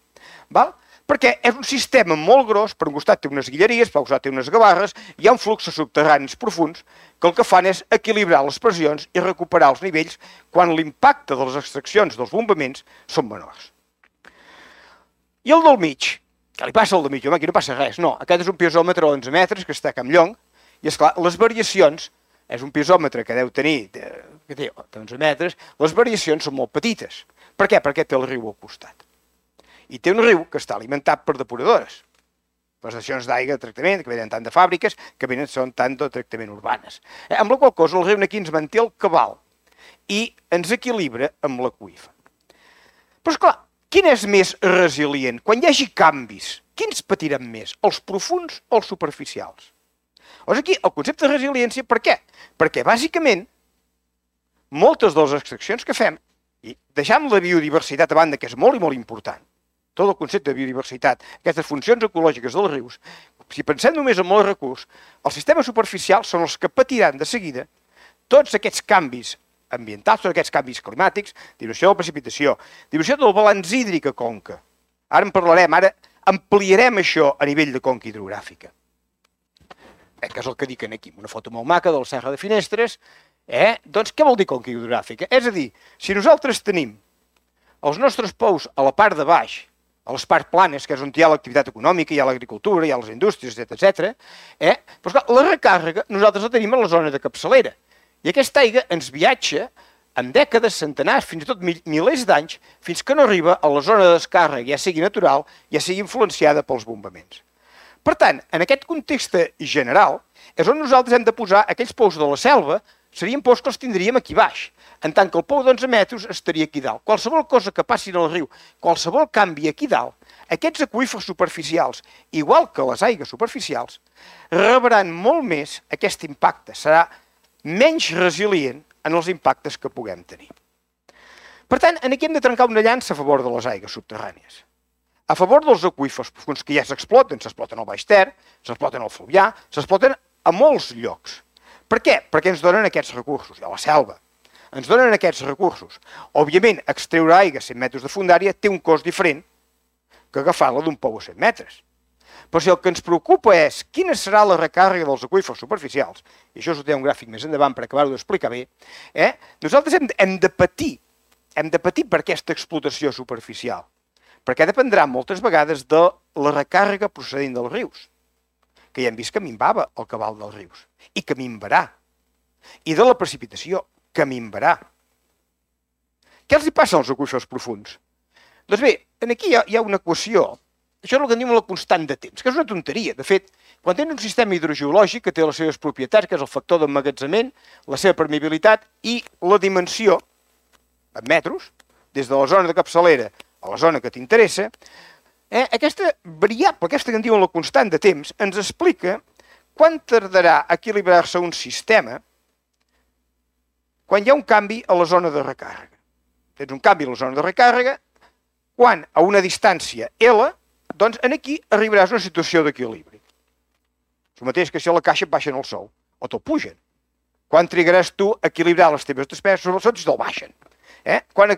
Perquè és un sistema molt gros, per un costat té unes guilleries, per un costat té unes gavarres, hi ha un flux subterranis profunds que el que fan és equilibrar les pressions i recuperar els nivells quan l'impacte de les extraccions dels bombaments són menors. I el del mig? Què li passa al del mig? Home, aquí no passa res. No, aquest és un piezòmetre a 11 metres que està a Campllong i, esclar, les variacions, és un piezòmetre que deu tenir, que té 11 metres, les variacions són molt petites. Per què? Perquè té el riu al costat. I té un riu que està alimentat per depuradores. Les estacions d'aigua de tractament, que venen tant de fàbriques, que venen són tant de tractament urbanes. Amb la qual cosa el riu aquí ens manté el cabal i ens equilibra amb l'aqüífer. Però, esclar, quin és més resilient? Quan hi hagi canvis, quins patiran més? Els profunds o els superficials? Llavors aquí el concepte de resiliència, per què? Perquè bàsicament moltes de les extraccions que fem, i deixant la biodiversitat a banda, que és molt i molt important, tot el concepte de biodiversitat, aquestes funcions ecològiques dels rius, si pensem només en el recurs, els sistemes superficials són els que patiran de seguida tots aquests canvis ambientals, tots aquests canvis climàtics, diminució de la precipitació, diminució del balanç hídric a conca. Ara en parlarem, ara ampliarem això a nivell de conca hidrogràfica. que és el que dic aquí, una foto molt maca de la Serra de Finestres, doncs què vol dir conca hidrogràfica? És a dir, si nosaltres tenim els nostres pous a la part de baix, a les parts planes, que és on hi ha l'activitat econòmica, hi ha l'agricultura, hi ha les indústries, etc. Però clar, la recàrrega nosaltres la tenim a la zona de capçalera. I aquesta aigua ens viatja en dècades, centenars, fins i tot milers d'anys, fins que no arriba a la zona de descàrrega, ja sigui natural, ja sigui influenciada pels bombaments. Per tant, en aquest context general, és on nosaltres hem de posar aquells pous de la selva, serien pous que els tindríem aquí baix, en tant que el pou d'11 metres estaria aquí dalt. Qualsevol cosa que passi al riu, qualsevol canvi aquí dalt, aquests aqüífers superficials, igual que les aigües superficials, rebran molt més aquest impacte, serà menys resilient en els impactes que puguem tenir. Per tant, aquí hem de trencar una llança a favor de les aigües subterrànies. A favor dels aqüífers profunds que ja s'exploten al Baix Ter, s'exploten al Fluvià, s'exploten a molts llocs. Per què? Perquè ens donen aquests recursos, i a la selva. Ens donen aquests recursos. Òbviament, extreure aigua a 100 metres de fondària té un cost diferent que agafar-la d'un pou a 100 metres. Però si el que ens preocupa és quina serà la recàrrega dels aqüífers superficials, i això us ho té un gràfic més endavant per acabar-ho d'explicar bé, nosaltres hem de patir per aquesta explotació superficial, perquè dependrà moltes vegades de la recàrrega procedent dels rius, que ja hem vist que minvava el cabal dels rius, i que minvarà, i de la precipitació, que minvarà. Què els hi passa als aqüífers profunds? Doncs bé, aquí hi ha una equació. Això és el que en diuen la constant de temps, que és una tonteria. De fet, quan tens un sistema hidrogeològic que té les seves propietats, que és el factor d'emmagatzament, la seva permeabilitat i la dimensió, en metres, des de la zona de capçalera a la zona que t'interessa, aquesta variable, aquesta que en diuen la constant de temps, ens explica quan tardarà a equilibrar-se un sistema quan hi ha un canvi a la zona de recàrrega. Tens un canvi a la zona de recàrrega, quan a una distància L, doncs aquí arribaràs a una situació d'equilibri. És el mateix que si a la caixa et baixen el sou, o te'l pugen. Quan trigaràs tu a equilibrar les teves despeses, sobretot si te'l baixen. Quan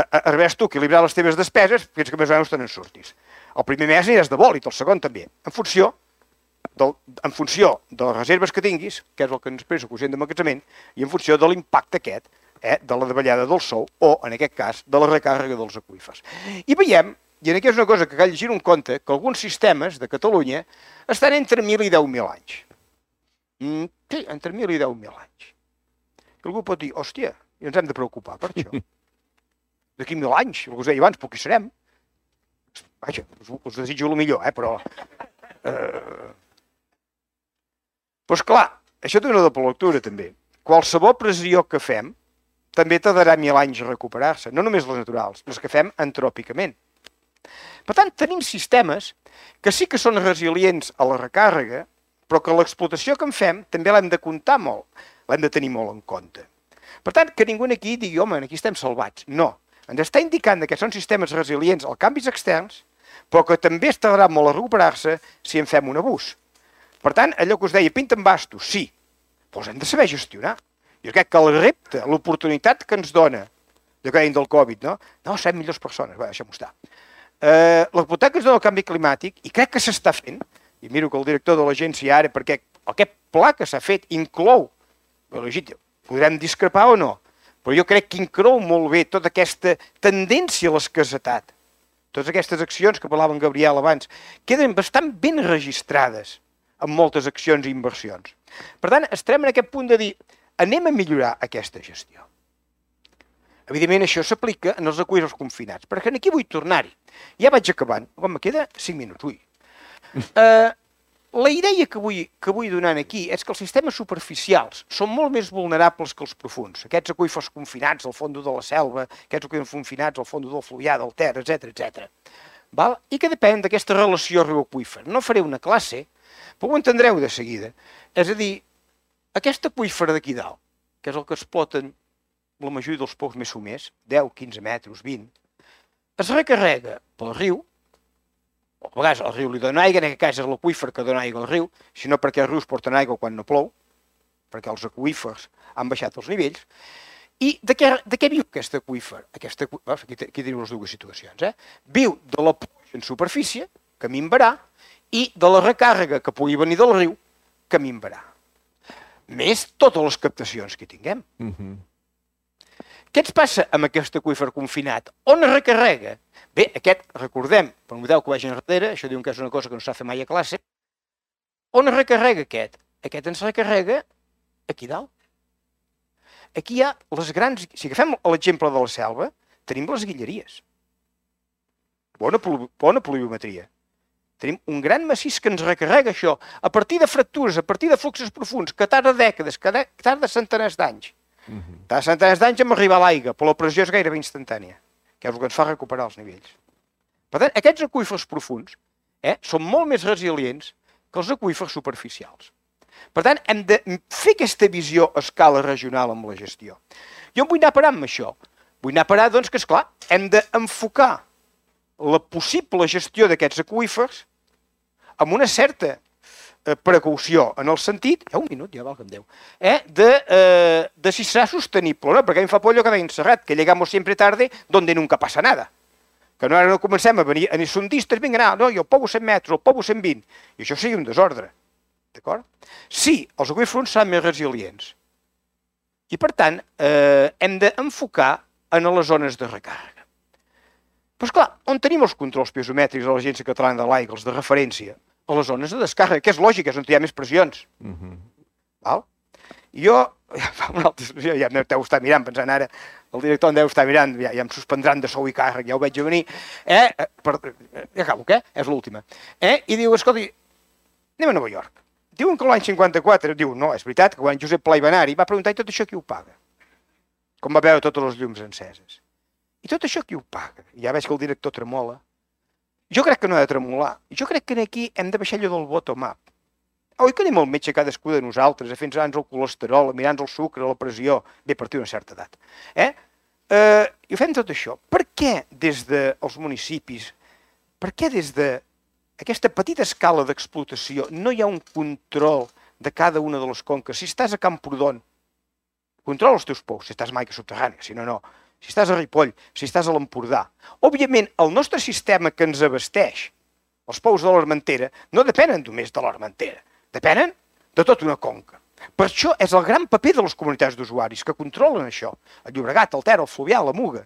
arribaràs tu a equilibrar les teves despeses, fins que més o menys te n'en surtis. El primer mes aniràs de bòlit, el segon també, en funció de les reserves que tinguis, que és el que ens expressa el quocient d'emmagatzement, i en funció de l'impacte aquest, de la davallada del sou, o, en aquest cas, de la recàrrega dels aqüífers. I veiem, i aquí és una cosa que cal llegir un compte, que alguns sistemes de Catalunya estan entre 1.000 i 10.000 anys. Sí, entre 1.000 i 10.000 anys. Que algú pot dir, hòstia, i ens hem de preocupar per això. D'aquí 1.000 anys, el que us deia abans, poc hi serem. Vaja, us desitjo el millor, però... Doncs clar, això té una doble lectura també. Qualsevol pressió que fem també tardarà 1.000 anys a recuperar-se, no només les naturals, les que fem antròpicament. Per tant, tenim sistemes que sí que són resilients a la recàrrega, però que l'explotació que en fem també l'hem de comptar molt, l'hem de tenir molt en compte. Per tant, que ningú aquí digui, home, aquí estem salvats. No, ens està indicant que són sistemes resilients als canvis externs, però que també es tardarà molt a recuperar-se si en fem un abús. Per tant, allò que us deia, pinta en bastos, sí, però els hem de saber gestionar. Jo crec que el repte, l'oportunitat que ens dona, de que dèiem del Covid, no, serem millors persones, va, deixem-ho estar. L'oportunitat que ens dona el canvi climàtic, i crec que s'està fent, i miro que el director de l'agència ara, perquè aquest pla que s'ha fet inclou, podrem discrepar o no, però jo crec que inclou molt bé tota aquesta tendència a l'escassetat. Totes aquestes accions que parlava en Gabriel abans, queden bastant ben registrades en moltes accions i inversions. Per tant, estarem en aquest punt de dir, anem a millorar aquesta gestió. Evidentment, això s'aplica en els aqüífers confinats, perquè aquí vull tornar-hi. Ja vaig acabant, com me queda 5 minuts, ui. La idea que vull donar aquí és que els sistemes superficials són molt més vulnerables que els profunds. Aquests aqüífers confinats al fons de la selva, aquests aqüífers confinats al fons del Fluvià, del Ter, etc. I que depèn d'aquesta relació riu-aqüífer. No faré una classe, però ho entendreu de seguida. És a dir, aquest aqüífer d'aquí dalt, que és el que exploten la majoria dels pous més somers, 10, 15 metres, 20, es recarrega pel riu, o a vegades el riu li dona aigua, en aquest cas és l'aqüífer que dona aigua al riu, sinó perquè els rius porten aigua quan no plou, perquè els aqüífers han baixat els nivells, i de què viu aquest aqüífer? Aquí tenim les dues situacions. Viu de la pluja en superfície, que minvarà, i de la recàrrega que pugui venir del riu, que minvarà. Més totes les captacions que tinguem. Què ens passa amb aquest aqüífer confinat? On es recarrega? Bé, aquest, recordem, per un model que vagi enrere, això diuen que és una cosa que no s'ha fet mai a classe, on es recarrega aquest? Aquest ens recarrega aquí dalt. Aquí hi ha les grans... Si agafem l'exemple de la selva, tenim les guilleries. Bona pluviometria. Tenim un gran massís que ens recarrega això, a partir de fractures, a partir de fluxos profunds, que tarda dècades, que tarda centenars d'anys. Tarda centenars d'anys en arribar a l'aigua, però la pressió és gairebé instantània, que és el que ens fa recuperar els nivells. Per tant, aquests aqüífers profunds són molt més resilients que els aqüífers superficials. Per tant, hem de fer aquesta visió a escala regional amb la gestió. Jo em vull anar a parar amb això. Vull anar a parar, doncs, que, esclar, hem d'enfocar la possible gestió d'aquests aqüífers amb una certa precaució, en el sentit, ja un minut, ja valga'm Déu, de si serà sostenible, no? Perquè a mi em fa por allò que deia Serrat, que llegamos siempre tarde donde nunca pasa nada. Que no, ara no comencem a venir sondistes, vinga, no, jo poso 100 metres, o poso 120, i això sigui un desordre. D'acord? Sí, els aqüífers seran més resilients. I, per tant, hem d'enfocar en les zones de recàrrega. Però, esclar, on tenim els controls piezomètrics de l'Agència Catalana de l'Aigua, els de referència? A les zones de descàrrega, que és lògic, és on hi ha més pressions. Val? I jo, ja em deu estar mirant, pensant ara, el director em deu estar mirant, ja em suspendran de sou i càrrec, ja ho veig a venir, ja acabo, què? És l'última. I diu, escolta, anem a Nova York. Diuen que l'any 54, diu, no, és veritat, que quan Josep Pla i Benari va preguntar, i tot això qui ho paga? Com va veure totes les llums enceses. I tot això qui ho paga? Ja veig que el director tremola. Jo crec que no ha de tremolar. Jo crec que aquí hem de baixar allò del bottom-up. Oi que anem al metge cadascú de nosaltres, a fer-nos el colesterol, a mirar-nos el sucre, la pressió, bé, a partir d'una certa edat. I ho fem tot això. Per què des dels municipis, per què des d'aquesta petita escala d'explotació no hi ha un control de cada una de les conques? Si estàs a Camprodon, controla els teus pous, si estàs a Maica Subterrània, si no, no. Si estàs a Ripoll, si estàs a l'Empordà. Òbviament, el nostre sistema que ens abasteix, els pous de l'Armentera, no depenen només de l'Armentera, depenen de tota una conca. Per això és el gran paper de les comunitats d'usuaris que controlen això. El Llobregat, el Ter, el Fluvià, la Muga.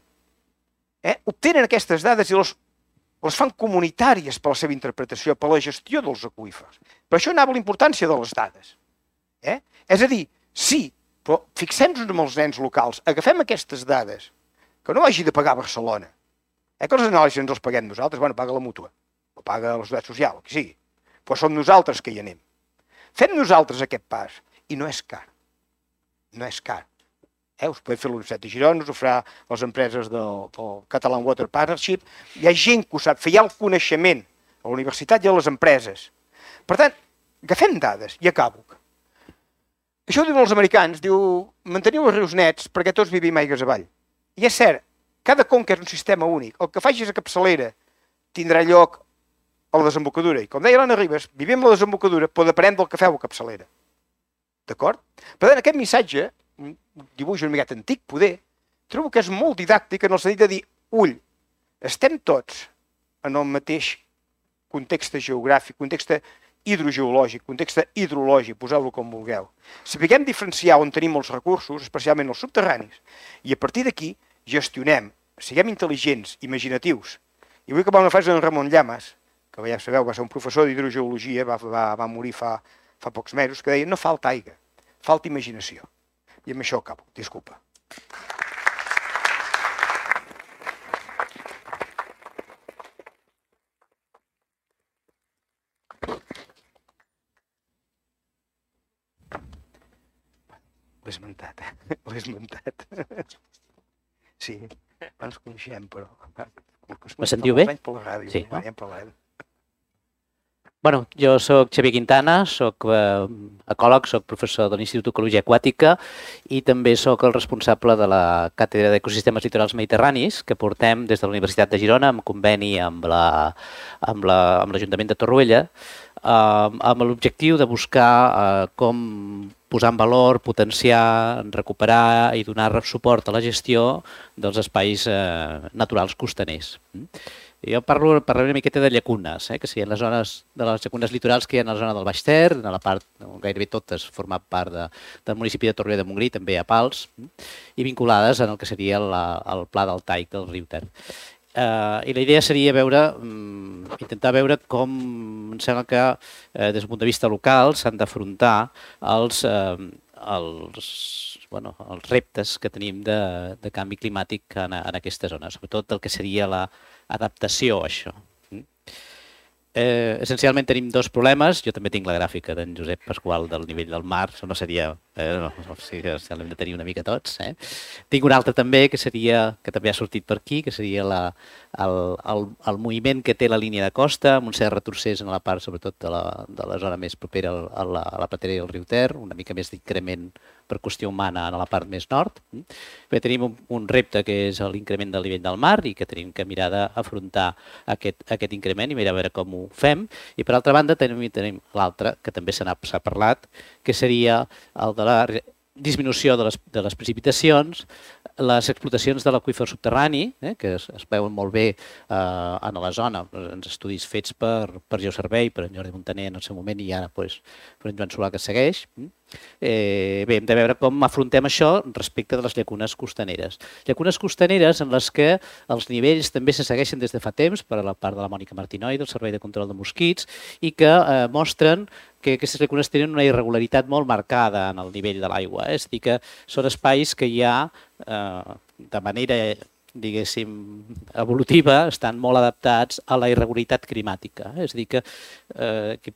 Obtenen aquestes dades i les fan comunitàries per la seva interpretació, per la gestió dels aqüífers. Per això anava la importància de les dades. És a dir, sí, però fixem-nos amb els nens locals, agafem aquestes dades, que no hagi de pagar Barcelona, que els anàlisis ens els paguem nosaltres, bueno, paga la mútua, o paga la Seguretat Social, el que sigui, però som nosaltres que hi anem. Fem nosaltres aquest pas, i no és car. No és car. Us podem fer l'Universitat de Girona, us ho farà les empreses del Catalan Water Partnership, hi ha gent que ho sap fer, hi ha el coneixement a la universitat i a les empreses. Per tant, agafem dades, i acabo. Això ho diuen els americans, diu, manteniu els rius nets perquè tots vivim aigües avall. I és cert, cada conca és un sistema únic. El que facis a capçalera tindrà lloc a la desembocadura. I com deia l'Anna Ribas, vivim la desembocadura, però depenem del que feu a capçalera. D'acord? Per tant, aquest missatge, un dibuix una miqueta antic, poder, trobo que és molt didàctic en el sentit de dir, ull, estem tots en el mateix context geogràfic, context hidrogeològic, context hidrològic, poseu-lo com vulgueu. Sapiguem diferenciar on tenim els recursos, especialment els subterranis, i a partir d'aquí gestionem, siguem intel·ligents, imaginatius. I vull acabar una frase d'en Ramon Llamas, que ja sabeu, va ser un professor d'hidrogeologia, va morir fa pocs mesos, que deia, no falta aigua, falta imaginació. I amb això acabo, disculpa. L'he esmentat, l'he esmentat. Sí, ens coneixem, però... Me sentiu bé? Sí, no? Bueno, jo soc Xavier Quintana, soc ecòleg, soc professor de l'Institut d'Ecologia Aquàtica i també soc el responsable de la Càtedra d'Ecosistemes Litorals Mediterranis que portem des de la Universitat de Girona en conveni amb l'Ajuntament de Torroella amb l'objectiu de buscar com posar en valor, potenciar, recuperar i donar suport a la gestió dels espais naturals costaners. Jo parlaré una miqueta de llacunes, que serien les zones de les llacunes litorals que hi ha a la zona del Baix Ter, a la part, gairebé totes, format part del municipi de Torroella de Montgrí, també a Pals, i vinculades en el que seria el pla del Taic del riu Ter. I la idea seria intentar veure com em sembla que des del punt de vista local s'han d'afrontar els reptes que tenim de canvi climàtic en aquesta zona, sobretot el que seria l'adaptació a això. Essencialment tenim dos problemes. Jo també tinc la gràfica d'en Josep Pasqual del nivell del mar, no seria... sí, l'hem de tenir una mica tots. Tinc un altre també, que també ha sortit per aquí, que seria el moviment que té la línia de costa, amb un cert retrocés en la part, sobretot, de la zona més propera a la pratera del riu Ter, una mica més d'increment per qüestió humana a la part més nord. Bé, tenim un repte que és l'increment del nivell del mar i que tenim que mirar d'afrontar aquest increment i mirar a veure com ho fem. I per altra banda tenim l'altre, que també s'ha parlat, que seria el de la disminució de les precipitacions, les explotacions de l'aqüífer subterrani, que es veuen molt bé en la zona, en estudis fets per Geoservei, per en Jordi Montaner en el seu moment i ara per en Joan Solà que segueix. Bé, hem de veure com afrontem això respecte de les llacunes costaneres. Llacunes costaneres en les que els nivells també se segueixen des de fa temps per a la part de la Mònica Martinoi, del Servei de Control de Mosquits, i que mostren que aquestes llacunes tenen una irregularitat molt marcada en el nivell de l'aigua. És a dir, que són espais que ja de manera, diguéssim, evolutiva, estan molt adaptats a la irregularitat climàtica. És a dir, que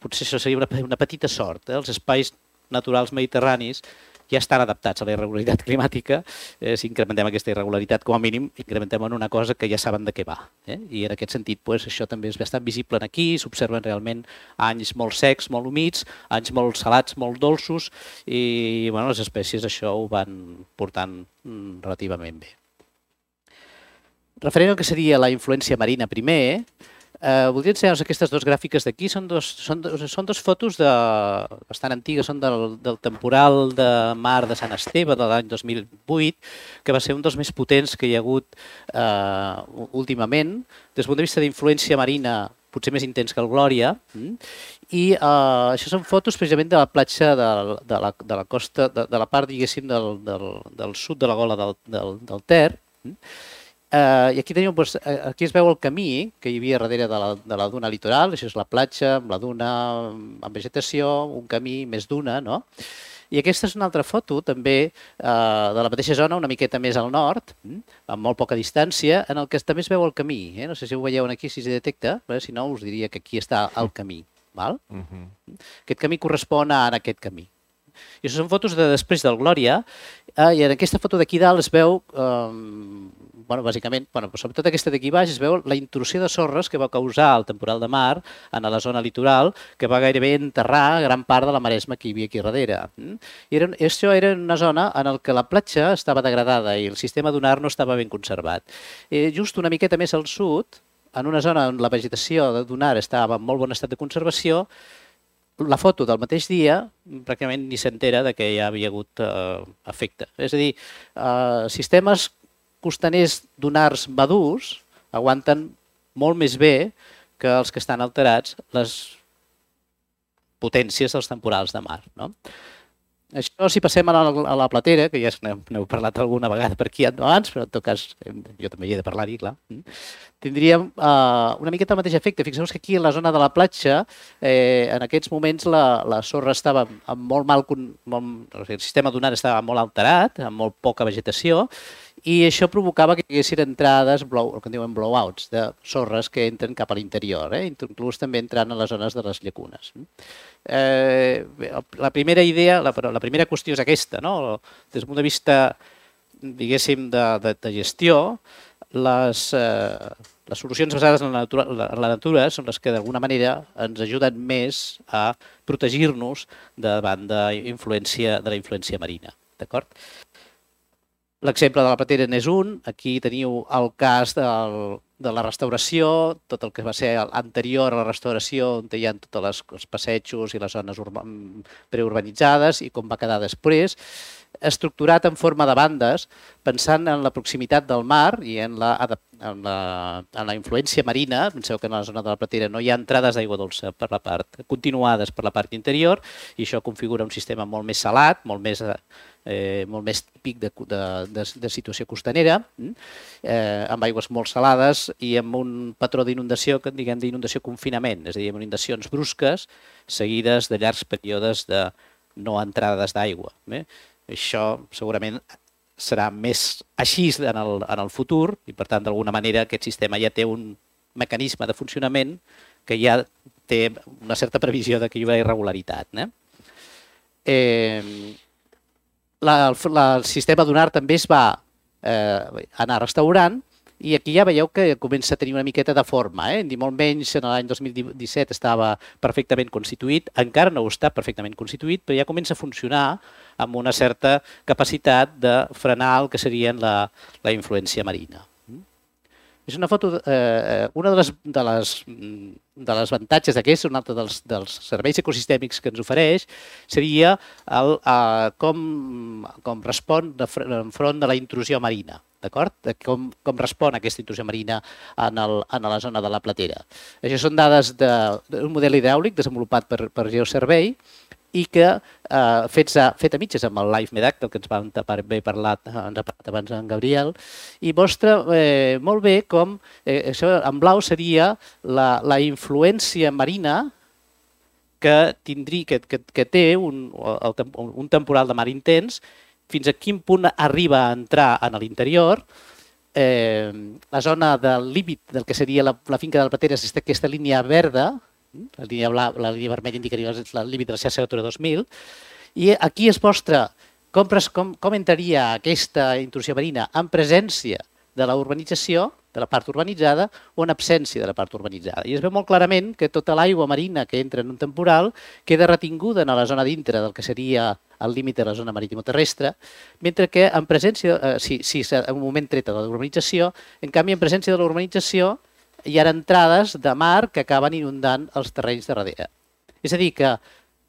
potser això seria una petita sort. Els espais naturals mediterranis ja estan adaptats a la irregularitat climàtica. Si incrementem aquesta irregularitat, com a mínim, incrementem en una cosa que ja saben de què va. I en aquest sentit, això també és bastant visible aquí, s'observen realment anys molt secs, molt humits, anys molt salats, molt dolços, i les espècies això ho van portant relativament bé. Referent al que seria la influència marina primer, voldria ensenyar-vos aquestes dues gràfiques d'aquí. Són dos fotos bastant antigues, són del temporal de mar de Sant Esteve de l'any 2008, que va ser un dels més potents que hi ha hagut últimament, des del punt de vista d'influència marina potser més intens que el Glòria, i això són fotos precisament de la platja de la costa, de la part, diguéssim, del sud de la gola del Ter. I aquí es veu el camí que hi havia darrere de la duna litoral. Això és la platja, amb la duna, amb vegetació, un camí més duna, no? I aquesta és una altra foto també de la mateixa zona, una miqueta més al nord, amb molt poca distància, en el que també es veu el camí. No sé si ho veieu aquí, si es detecta, si no us diria que aquí està el camí. Aquest camí correspon a aquest camí. I això són fotos de després del Glòria, i en aquesta foto d'aquí dalt es veu, bàsicament, sobretot aquesta d'aquí baix, es veu la intrusió de sorres que va causar el temporal de mar en la zona litoral, que va gairebé enterrar gran part de la maresma que hi havia aquí darrere. I això era una zona en què la platja estava degradada i el sistema dunar no estava ben conservat. Just una miqueta més al sud, en una zona on la vegetació de dunar estava en molt bon estat de conservació, la foto del mateix dia pràcticament ni s'entera que hi havia hagut efecte. És a dir, sistemes costaners dunars madurs aguanten molt més bé que els que estan alterats les potències dels temporals de mar. Això, si passem a la platera, que ja n'heu parlat alguna vegada per aquí abans, però en tot cas jo també hi he de parlar-hi, clar, tindríem una miqueta el mateix efecte. Fixeu-vos que aquí, a la zona de la platja, en aquests moments la sorra estava amb molt mal... El sistema dunar estava molt alterat, amb molt poca vegetació, i això provocava que hi haguessin entrades, el que en diuen blowouts, de sorres que entren cap a l'interior, inclús també entrant a les zones de les llacunes. La primera idea, la primera qüestió és aquesta, des del punt de vista, diguéssim, de gestió, les solucions basades en la natura són les que d'alguna manera ens ajuden més a protegir-nos davant de la influència marina. D'acord? L'exemple de la platera n'és un. Aquí teniu el cas la restauració, tot el que va ser anterior a la restauració, on hi ha tots els passejos i les zones preurbanitzades i com va quedar després, estructurat en forma de bandes, pensant en la proximitat del mar i en la influència marina. Penseu que en la zona de la Platera no hi ha entrades d'aigua dolça continuades per la part interior, i això configura un sistema molt més salat, molt més típic de situació costanera, amb aigües molt salades i amb un patró d'inundació, que en diguem d'inundació confinament, és a dir, amb inundacions brusques seguides de llargs períodes de no entrades d'aigua. Això segurament serà més així en el futur i, per tant, d'alguna manera aquest sistema ja té un mecanisme de funcionament que ja té una certa previsió de que hi haurà irregularitat. El sistema Dunar també es va anar restaurant i aquí ja veieu que comença a tenir una miqueta de forma. Ni molt menys en l'any 2017 estava perfectament constituït, encara no està perfectament constituït, però ja comença a funcionar amb una certa capacitat de frenar el que seria la influència marina. És una foto, una de les avantatges d'aquest, un altre dels serveis ecosistèmics que ens ofereix, seria com respon enfront de la intrusió marina, d'acord? Com respon aquesta intrusió marina en la zona de la Platera. Això són dades d'un model hidràulic desenvolupat per Geosurvey i que fet a mitges amb el Live Medac, del que ens vam parlat abans en Gabriel, i mostra molt bé com, això en blau seria la influència marina que té un temporal de mar intens, fins a quin punt arriba a entrar en l'interior. La zona del límit del que seria la finca de la Platera és aquesta línia verda, la línia vermella indicaria el límit de la xarxa Natura 2000, i aquí es mostra com entraria aquesta intrusió marina en presència de la urbanització, de la part urbanitzada, o en absència de la part urbanitzada. I es veu molt clarament que tota l'aigua marina que entra en un temporal queda retinguda en la zona dintre del que seria el límit de la zona maritimoterrestre, mentre que en presència, si en un moment treta de la urbanització, en canvi en presència de la urbanització hi ha entrades de mar que acaben inundant els terrenys de darrere. És a dir, que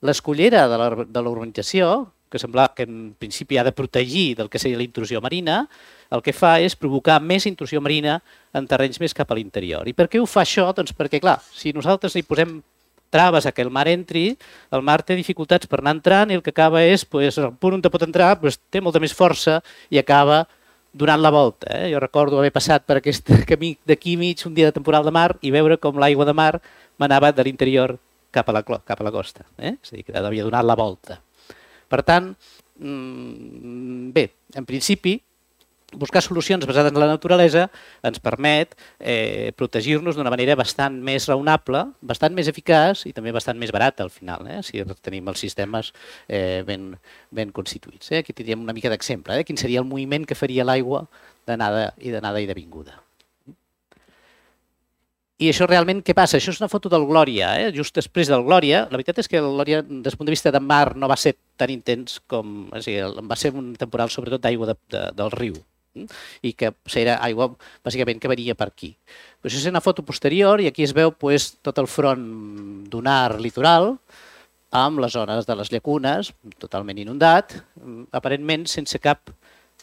l'escullera de la urbanització, que sembla que en principi ha de protegir del que seria la intrusió marina, el que fa és provocar més intrusió marina en terrenys més cap a l'interior. I per què ho fa això? Doncs perquè, clar, si nosaltres li posem traves a que el mar entri, el mar té dificultats per anar entrant i el que acaba és, el punt on pot entrar té molta més força i acaba donant la volta. Jo recordo haver passat per aquest camí d'aquí mig un dia de temporal de mar i veure com l'aigua de mar m'anava de l'interior cap a la costa. És a dir, que havia donat la volta. Per tant, bé, en principi, buscar solucions basades en la naturalesa ens permet protegir-nos d'una manera bastant més raonable, bastant més eficaç i també bastant més barata al final, si tenim els sistemes ben constituïts. Aquí tindríem una mica d'exemple, quin seria el moviment que faria l'aigua d'anada i de vinguda. I això realment què passa? Això és una foto del Glòria, just després del Glòria. La veritat és que el Glòria, des del punt de vista de mar, no va ser tan intens com... Va ser un temporal sobretot d'aigua del riu, i que era aigua bàsicament que venia per aquí. Això és una foto posterior i aquí es veu tot el front dunar litoral amb les zones de les llacunes totalment inundat, aparentment sense cap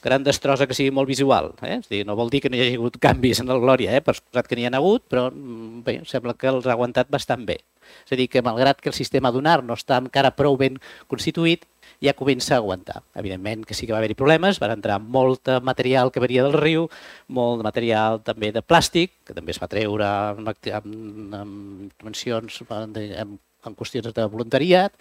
gran destrossa que sigui molt visual. És a dir, no vol dir que no hi hagi hagut canvis en el Glòria, per suposat que n'hi ha hagut, però bé, sembla que els ha aguantat bastant bé. És a dir, que malgrat que el sistema dunar no està encara prou ben constituït, ja comença a aguantar. Evidentment que sí que va haver-hi problemes, va entrar molt material que venia del riu, molt material també de plàstic, que també es va treure en dimensions, en qüestions de voluntariat.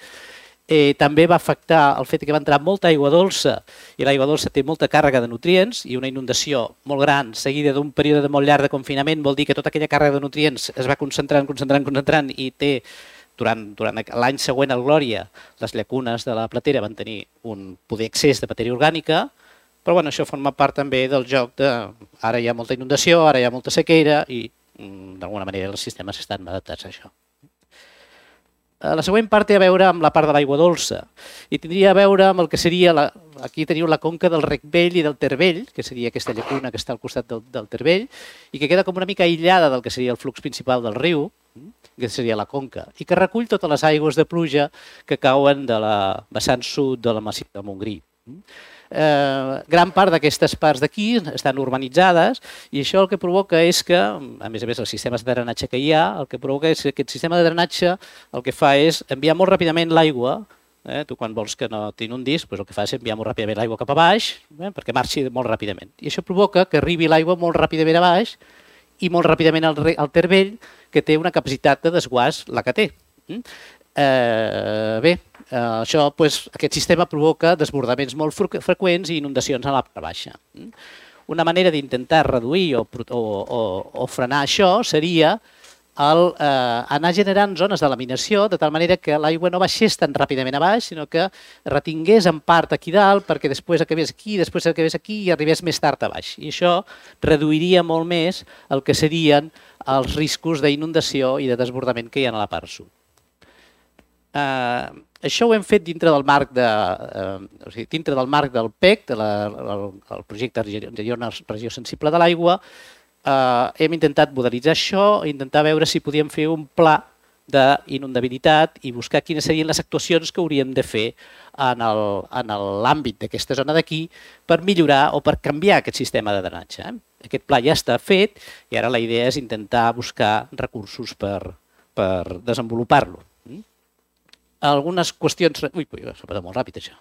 També va afectar el fet que va entrar molta aigua dolça i l'aigua dolça té molta càrrega de nutrients i una inundació molt gran seguida d'un període molt llarg de confinament vol dir que tota aquella càrrega de nutrients es va concentrant i té durant l'any següent al Glòria les llacunes de la Platera van tenir un poder excés de matèria orgànica, però això forma part també del joc de ara hi ha molta inundació, ara hi ha molta sequera i d'alguna manera els sistemes estan adaptats a això. La següent part té a veure amb la part de l'aigua dolça i tindria a veure amb el que seria, aquí teniu la conca del Rec Vell i del Ter Vell, que seria aquesta llacuna que està al costat del Ter Vell i que queda com una mica aïllada del que seria el flux principal del riu, que seria la conca, i que recull totes les aigües de pluja que cauen de la vessant sud de la massís de Montgrí. Gran part d'aquestes parts d'aquí estan urbanitzades i això el que provoca és que, a més els sistemes de drenatge que hi ha, el que provoca és que aquest sistema de drenatge el que fa és enviar molt ràpidament l'aigua. Tu quan vols que no t'inundis, el que fa és enviar molt ràpidament l'aigua cap a baix perquè marxi molt ràpidament. I això provoca que arribi l'aigua molt ràpidament a baix i molt ràpidament al Ter Vell, que té una capacitat de desguàs la que té. Bé, aquest sistema provoca desbordaments molt freqüents i inundacions a la part baixa. Una manera d'intentar reduir o frenar això seria anar generant zones de laminació de tal manera que l'aigua no baixés tan ràpidament a baix, sinó que retingués en part aquí dalt perquè després acabés aquí, després acabés aquí i arribés més tard a baix. I això reduiria molt més el que serien els riscos d'inundació i de desbordament que hi ha a la part sud. Això ho hem fet dintre del marc del PEC, el projecte Regió Sensible de l'Aigua. Hem intentat modelitzar això i intentar veure si podíem fer un pla d'inundabilitat i buscar quines serien les actuacions que hauríem de fer en l'àmbit d'aquesta zona d'aquí per millorar o per canviar aquest sistema de drenatge. Aquest pla ja està fet i ara la idea és intentar buscar recursos per desenvolupar-lo. Algunes qüestions... Ui, s'ha passat molt ràpid això.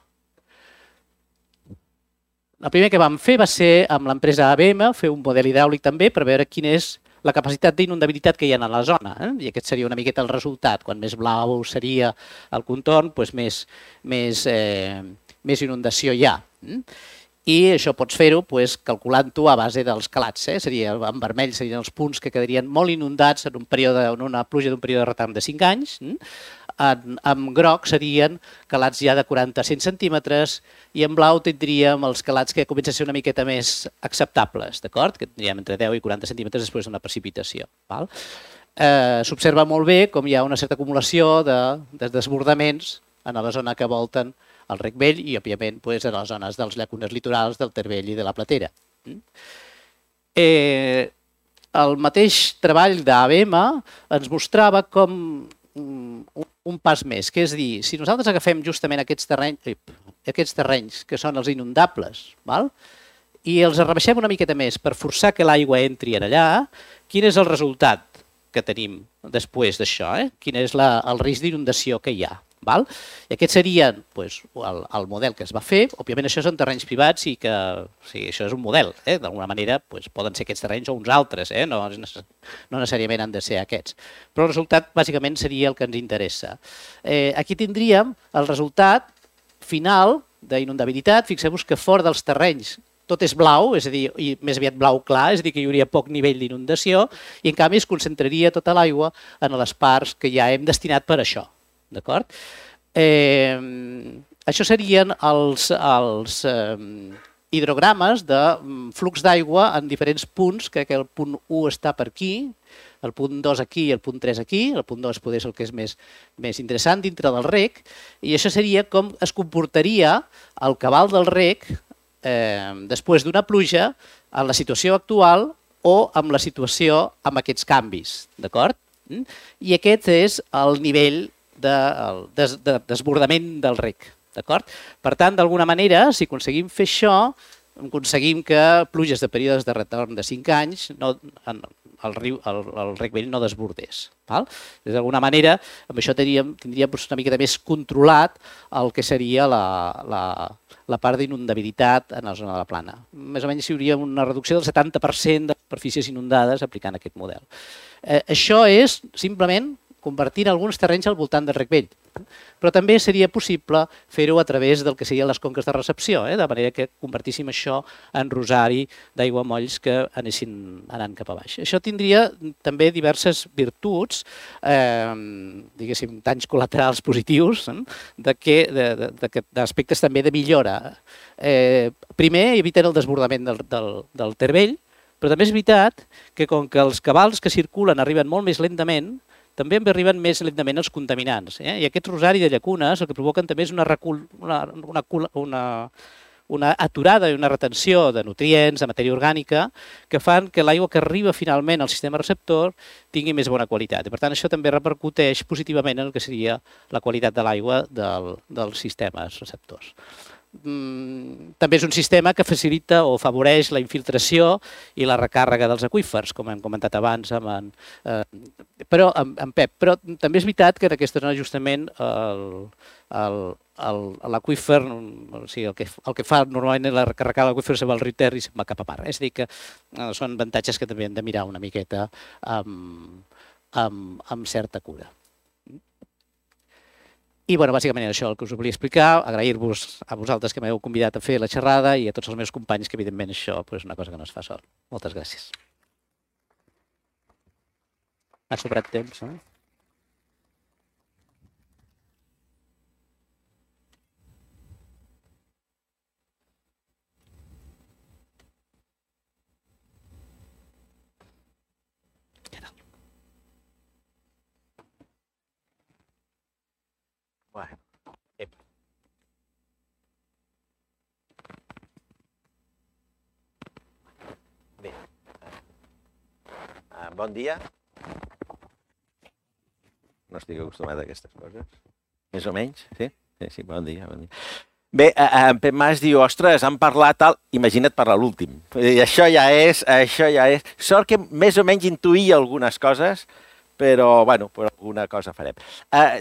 El primer que vam fer va ser amb l'empresa ABM, fer un model hidràulic també per veure quina és la capacitat d'inundabilitat que hi ha a la zona. I aquest seria una miqueta el resultat. Quan més blau seria el contorn, més inundació hi ha. I això pots fer-ho calculant-ho a base dels calats. En vermell serien els punts que quedarien molt inundats en una pluja d'un període de retarm de 5 anys. En groc serien calats ja de 40 a 100 centímetres i en blau tindríem els calats que comencen a ser una miqueta més acceptables, d'acord? Que tindríem entre 10 i 40 centímetres després d'una precipitació. S'observa molt bé com hi ha una certa acumulació de desbordaments en la zona que volten el Rec Vell i, òbviament, a les zones dels llacunes litorals del Ter Vell i de la Platera. El mateix treball d'ABM ens mostrava com un pas més, que és dir, si nosaltres agafem justament aquests terrenys que són els inundables i els rebaixem una miqueta més per forçar que l'aigua entri allà, quin és el resultat que tenim després d'això? Quin és el risc d'inundació que hi ha? I aquest seria el model que es va fer. Òbviament això són terrenys privats i que això és un model. D'alguna manera poden ser aquests terrenys o uns altres, no necessàriament han de ser aquests. Però el resultat bàsicament seria el que ens interessa. Aquí tindríem el resultat final d'inundabilitat. Fixeu-vos que fora dels terrenys tot és blau, és a dir, i més aviat blau clar, és a dir, que hi hauria poc nivell d'inundació i en canvi es concentraria tota l'aigua en les parts que ja hem destinat per això. D'acord? Això serien els hidrogrames de flux d'aigua en diferents punts, crec que el punt 1 està per aquí, el punt 2 aquí i el punt 3 aquí, el punt 2 potser és el que és més interessant dintre del rec, i això seria com es comportaria el cabal del rec després d'una pluja en la situació actual o amb la situació amb aquests canvis, d'acord? I aquest és el nivell de desbordament del rec. Per tant, d'alguna manera, si aconseguim fer això, aconseguim que pluges de períodes de retorn de 5 anys el Rec Vell no desbordés. D'alguna manera, amb això tindríem una mica més controlat el que seria la part d'inundabilitat en la zona de la plana. Més o menys hi hauria una reducció del 70% de superfícies inundades aplicant aquest model. Això és simplement convertint alguns terrenys al voltant del Rec Vell. Però també seria possible fer-ho a través del que serien les conques de recepció, de manera que convertíssim això en rosari d'aiguamolls que anessin anant cap a baix. Això tindria també diverses virtuts, diguéssim, danys col·laterals positius, d'aspectes també de millora. Primer, eviten el desbordament del Ter Vell, però també és veritat que com que els cabals que circulen arriben molt més lentament, també arriben més lentament els contaminants. I aquest rosari de llacunes el que provoquen també és una aturada i una retenció de nutrients, de matèria orgànica, que fan que l'aigua que arriba finalment al sistema receptor tingui més bona qualitat. I per tant, això també repercuteix positivament en el que seria la qualitat de l'aigua dels sistemes receptors. També és un sistema que facilita o afavoreix la infiltració i la recàrrega dels aqüífers, com hem comentat abans amb Pep. Però també és veritat que en aquesta zona justament l'aqüífer, o sigui, el que fa normalment la recàrrega de l'aqüífer se'n va al riu Ter i se'n va cap a mar. És a dir, que són avantatges que també hem de mirar una miqueta amb certa cura. I, bàsicament això el que us volia explicar, agrair-vos a vosaltres que m'heu convidat a fer la xerrada i a tots els meus companys, que evidentment això és una cosa que no es fa sol. Moltes gràcies. Ha sobrat temps, no? Bé, bon dia. No estic acostumat a aquestes coses. Més o menys, sí? Sí, bon dia. Bé, en Pep Mas diu, ostres, han parlat tal... Imagina't parlar l'últim. Això ja és... Sort que més o menys intuïa algunes coses, però, bueno, per alguna cosa farem.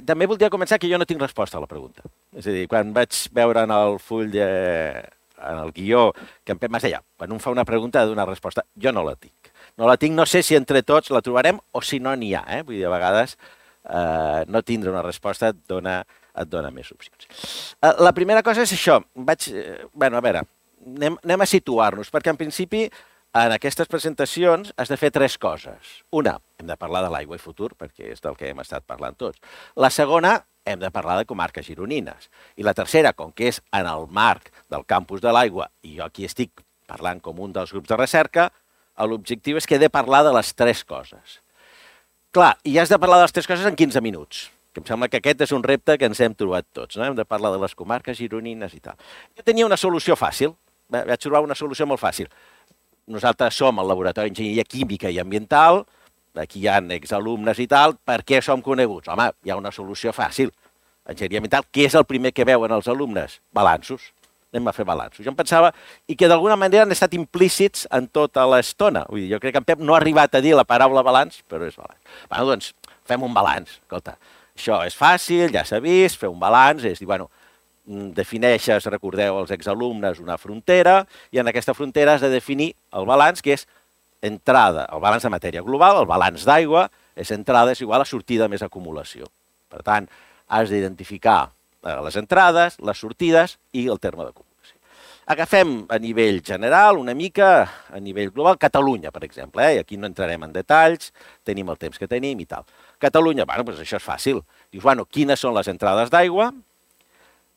També voldria començar que jo no tinc resposta a la pregunta. És a dir, quan vaig veure en el full, en el guió, que en Pep Mas deia, quan un fa una pregunta ha de donar resposta. Jo no la tinc. No sé si entre tots la trobarem o si no n'hi ha. Vull dir, a vegades no tindre una resposta et dona més opcions. La primera cosa és això. A veure, anem a situar-nos, perquè en principi en aquestes presentacions has de fer tres coses. Una, hem de parlar de l'aigua i futur, perquè és del que hem estat parlant tots. La segona, hem de parlar de comarques gironines. I la tercera, com que és en el marc del campus de l'aigua, i jo aquí estic parlant com un dels grups de recerca, l'objectiu és que he de parlar de les tres coses. Clar, i has de parlar de les tres coses en 15 minuts, que em sembla que aquest és un repte que ens hem trobat tots, no? Hem de parlar de les comarques gironines i tal. Jo tenia una solució fàcil, vaig trobar una solució molt fàcil. Nosaltres som el Laboratori d'Enginyeria Química i Ambiental, aquí hi ha exalumnes i tal, per què som coneguts? Home, hi ha una solució fàcil. Enginyeria Ambiental, què és el primer que veuen els alumnes? Balanços. Anem a fer balanços. Jo em pensava, i que d'alguna manera han estat implícits en tota l'estona. Vull dir, jo crec que en Pep no ha arribat a dir la paraula balanç, però és balanç. Bé, doncs, fem un balanç. Escolta, això és fàcil, ja s'ha vist, fer un balanç, és dir, bueno, defineixes, recordeu, els exalumnes, una frontera, i en aquesta frontera has de definir el balanç, que és entrada, el balanç de matèria global, el balanç d'aigua, és entrada és igual a sortida més acumulació. Per tant, has d'identificar les entrades, les sortides i el terme d'acumulació. Agafem a nivell general, una mica a nivell global, Catalunya, per exemple, i aquí no entrarem en detalls, tenim el temps que tenim i tal. Catalunya, bueno, doncs això és fàcil. Dius, bueno, quines són les entrades d'aigua,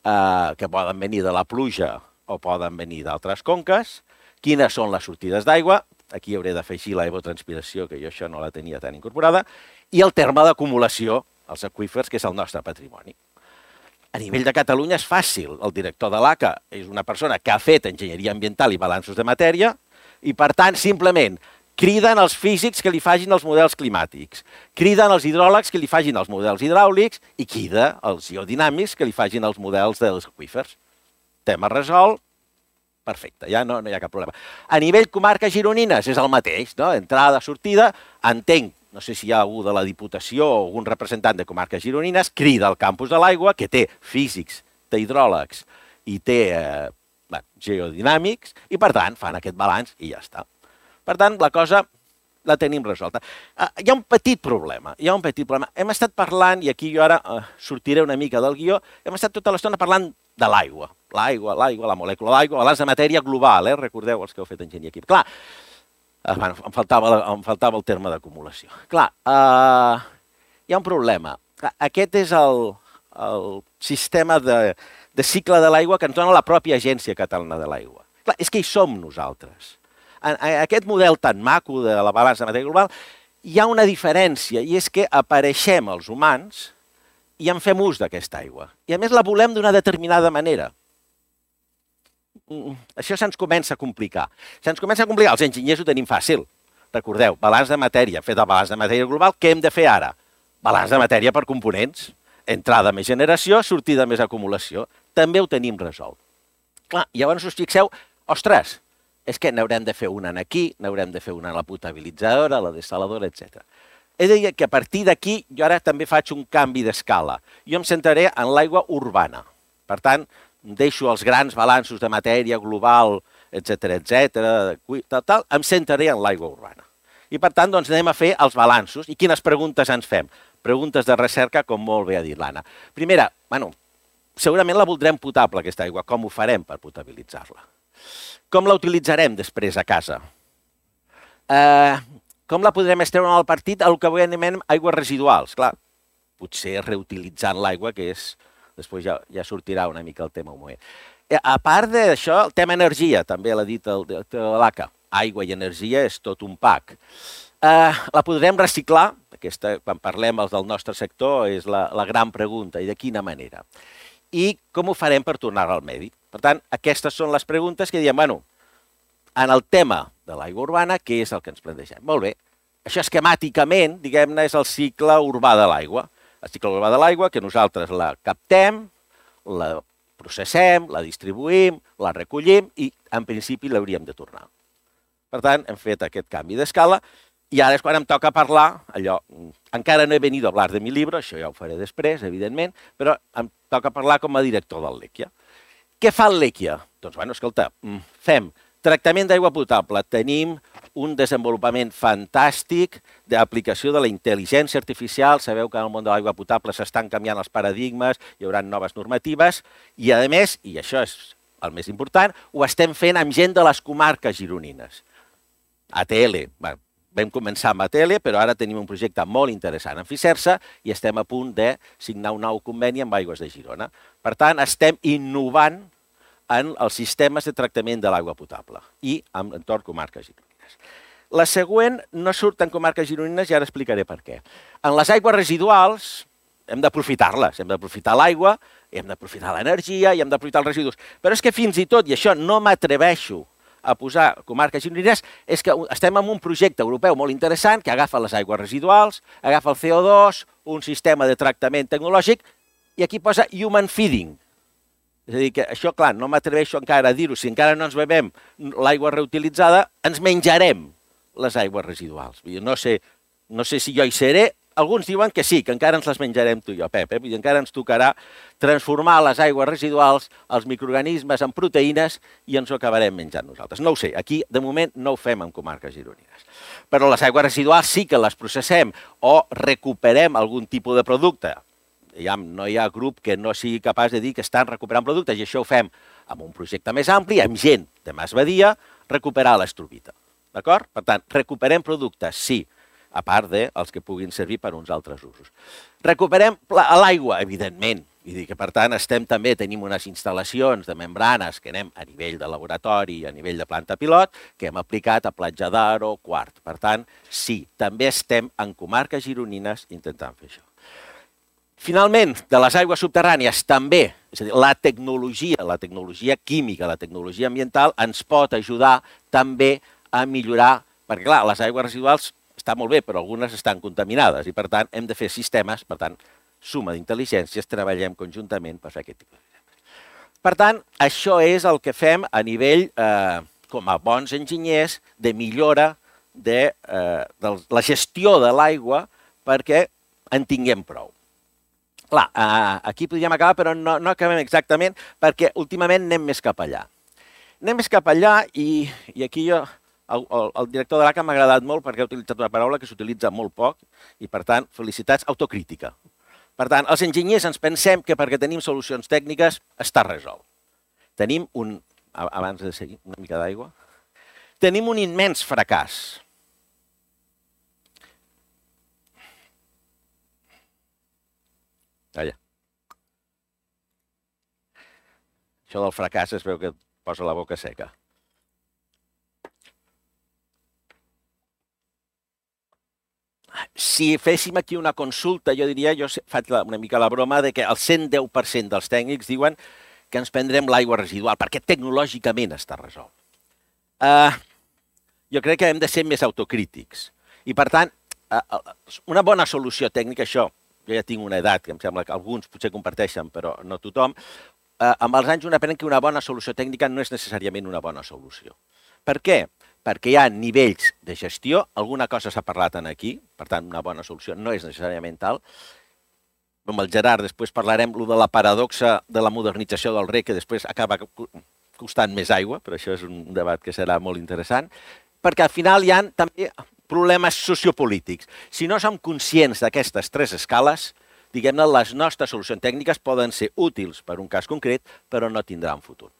que poden venir de la pluja o poden venir d'altres conques, quines són les sortides d'aigua, aquí hauré d'afegir l'evotranspiració, que jo això no la tenia tan incorporada, i el terme d'acumulació, els aqüífers, que és el nostre patrimoni. A nivell de Catalunya és fàcil. El director de l'ACA és una persona que ha fet enginyeria ambiental i balanços de matèria i, per tant, simplement criden els físics que li facin els models climàtics, criden els hidròlegs que li facin els models hidràulics i crida els geodinàmics que li facin els models dels aqüífers. Tema resolt, perfecte, ja no hi ha cap problema. A nivell comarques gironines és el mateix, no? Entrada, sortida, entenc, no sé si hi ha algú de la Diputació o algun representant de comarques gironines, crida al campus de l'aigua, que té físics, té hidròlegs i té geodinàmics, i per tant fan aquest balanç i ja està. Per tant, la cosa la tenim resolta. Hi ha un petit problema, Hem estat parlant, i aquí jo ara sortiré una mica del guió, hem estat tota l'estona parlant de l'aigua. L'aigua, la molècula d'aigua, balanç de matèria global, recordeu els que heu fet enginyeria química. Clar, em faltava el terme d'acumulació. Clar, hi ha un problema. Aquest és el sistema de cicle de l'aigua que ens dona la pròpia Agència Catalana de l'Aigua. Clar, és que hi som nosaltres. Aquest model tan maco de la balança de matèria global hi ha una diferència, i és que apareixem els humans i en fem ús d'aquesta aigua. I a més la volem d'una determinada manera. Això se'ns comença a complicar. Se'ns comença a complicar. Els enginyers ho tenim fàcil. Recordeu, balanç de matèria. Fet el balanç de matèria global, què hem de fer ara? Balanç de matèria per components. Entrada més generació, sortida més acumulació. També ho tenim resolt. Clar, llavors us fixeu, ostres, és que n'haurem de fer una aquí, n'haurem de fer una a la potabilitzadora, a la dessaladora, etc. He de dir que a partir d'aquí jo ara també faig un canvi d'escala. Jo em centraré en l'aigua urbana. Per tant, deixo els grans balanços de matèria global, etc, em centraré en l'aigua urbana. I per tant, doncs, anem a fer els balanços. I quines preguntes ens fem? Preguntes de recerca, com molt bé ha dit l'Anna. Primera, segurament la voldrem potable, aquesta aigua. Com ho farem per potabilitzar-la? Com la utilitzarem després a casa? Com la podrem estreure al partit? El que avui anomenem aigües residuals. Clar, potser reutilitzant l'aigua, que és... Després ja sortirà una mica el tema un moment. A part d'això, el tema energia, també l'ha dit el director de l'ACA. Aigua i energia és tot un pack. La podrem reciclar? Aquesta, quan parlem els del nostre sector, és la gran pregunta. I de quina manera? I com ho farem per tornar-la al medi? Per tant, aquestes són les preguntes que diem, en el tema de l'aigua urbana, què és el que ens plantegem? Molt bé, això esquemàticament, diguem-ne, és el cicle urbà de l'aigua. El cicle urbà de l'aigua, que nosaltres la captem, la processem, la distribuïm, la recollim i, en principi, l'hauríem de tornar. Per tant, hem fet aquest canvi d'escala i ara és quan em toca parlar, allò, encara no he venido a hablar de mi libro, això ja ho faré després, evidentment, però em toca parlar com a director del Lèquia. Què fa el Lèquia? Doncs, escolta, fem tractament d'aigua potable. Tenim un desenvolupament fantàstic d'aplicació de la intel·ligència artificial. Sabeu que en el món de l'aigua potable s'estan canviant els paradigmes, hi haurà noves normatives i, a més, i això és el més important, ho estem fent amb gent de les comarques gironines. ATL, vam començar amb ATL, però ara tenim un projecte molt interessant en Fisersa i estem a punt de signar un nou conveni amb Aigües de Girona. Per tant, estem innovant en els sistemes de tractament de l'aigua potable i en entorn comarques gironines. La següent no surt en comarques gironines i ara explicaré per què. En les aigües residuals hem d'aprofitar-les, hem d'aprofitar l'aigua, hem d'aprofitar l'energia i hem d'aprofitar els residus. Però és que fins i tot, i això no m'atreveixo a posar comarques gironines, és que estem en un projecte europeu molt interessant que agafa les aigües residuals, agafa el CO2, un sistema de tractament tecnològic i aquí posa human feeding. És a dir, que això, clar, no m'atreveixo encara a dir-ho. Si encara no ens bebem l'aigua reutilitzada, ens menjarem les aigües residuals. No sé si jo hi seré. Alguns diuen que sí, que encara ens les menjarem tu i jo, Pep. Vull dir, encara ens tocarà transformar les aigües residuals, els microorganismes, en proteïnes i ens ho acabarem menjant nosaltres. No ho sé, aquí de moment no ho fem en comarques gironines. Però les aigües residuals sí que les processem o recuperem algun tipus de producte. No hi ha grup que no sigui capaç de dir que estan recuperant productes i això ho fem amb un projecte més ampli, amb gent de Mas Badia, recuperar l'estrobita. D'acord? Per tant, recuperem productes, sí, a part dels que puguin servir per uns altres usos. Recuperem l'aigua, evidentment. Vull dir que, per tant, tenim unes instal·lacions de membranes que anem a nivell de laboratori i a nivell de planta pilot, que hem aplicat a Platja d'Aro, Quart. Per tant, sí, també estem en comarques gironines intentant fer això. Finalment, de les aigües subterrànies també, és a dir, la tecnologia química, la tecnologia ambiental ens pot ajudar també a millorar, perquè clar, les aigües residuals estan molt bé, però algunes estan contaminades i per tant hem de fer sistemes, per tant, suma d'intel·ligències, treballem conjuntament per fer aquest tipus de sistemes. Per tant, això és el que fem a nivell, com a bons enginyers, de millora de la gestió de l'aigua perquè en tinguem prou. Clar, aquí podríem acabar, però no acabem exactament, perquè últimament anem més cap allà. Anem més cap allà i aquí jo, el director de l'ACA m'ha agradat molt perquè ha utilitzat una paraula que s'utilitza molt poc i, per tant, felicitats, autocrítica. Per tant, els enginyers ens pensem que perquè tenim solucions tècniques està resolt. Tenim abans de seguir, una mica d'aigua, tenim un immens fracàs. Allà. Això del fracàs es veu que et posa la boca seca. si féssim aquí una consulta, jo diria, jo faig una mica la broma de que el 110% dels tècnics diuen que ens prendrem l'aigua residual, perquè tecnològicament està resolt. Jo crec que hem de ser més autocrítics. I, per tant, una bona solució tècnica, això, jo ja tinc una edat, que em sembla que alguns potser comparteixen, però no tothom, amb els anys un aprèn que una bona solució tècnica no és necessàriament una bona solució. Per què? Perquè hi ha nivells de gestió, alguna cosa s'ha parlat aquí, per tant, una bona solució no és necessàriament tal. Amb el Gerard després parlarem de la paradoxa de la modernització del reg, que després acaba costant més aigua, però això és un debat que serà molt interessant, perquè al final hi ha també problemes sociopolítics. Si no som conscients d'aquestes tres escales, diguem-ne, les nostres solucions tècniques poden ser útils per un cas concret, però no tindran futur.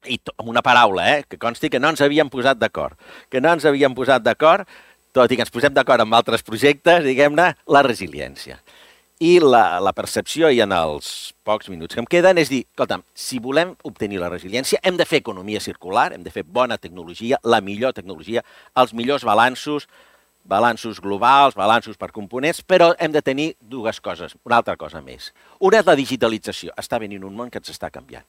I amb una paraula, que consti que no ens havíem posat d'acord. Que no ens havíem posat d'acord, tot i que ens posem d'acord amb altres projectes, diguem-ne, la resiliència. I la percepció, i en els pocs minuts que em queden, és dir, escolta'm, si volem obtenir la resiliència, hem de fer economia circular, hem de fer bona tecnologia, la millor tecnologia, els millors balanços globals, balanços per components, però hem de tenir dues coses, una altra cosa més. Una és la digitalització. Està venint un món que ens està canviant.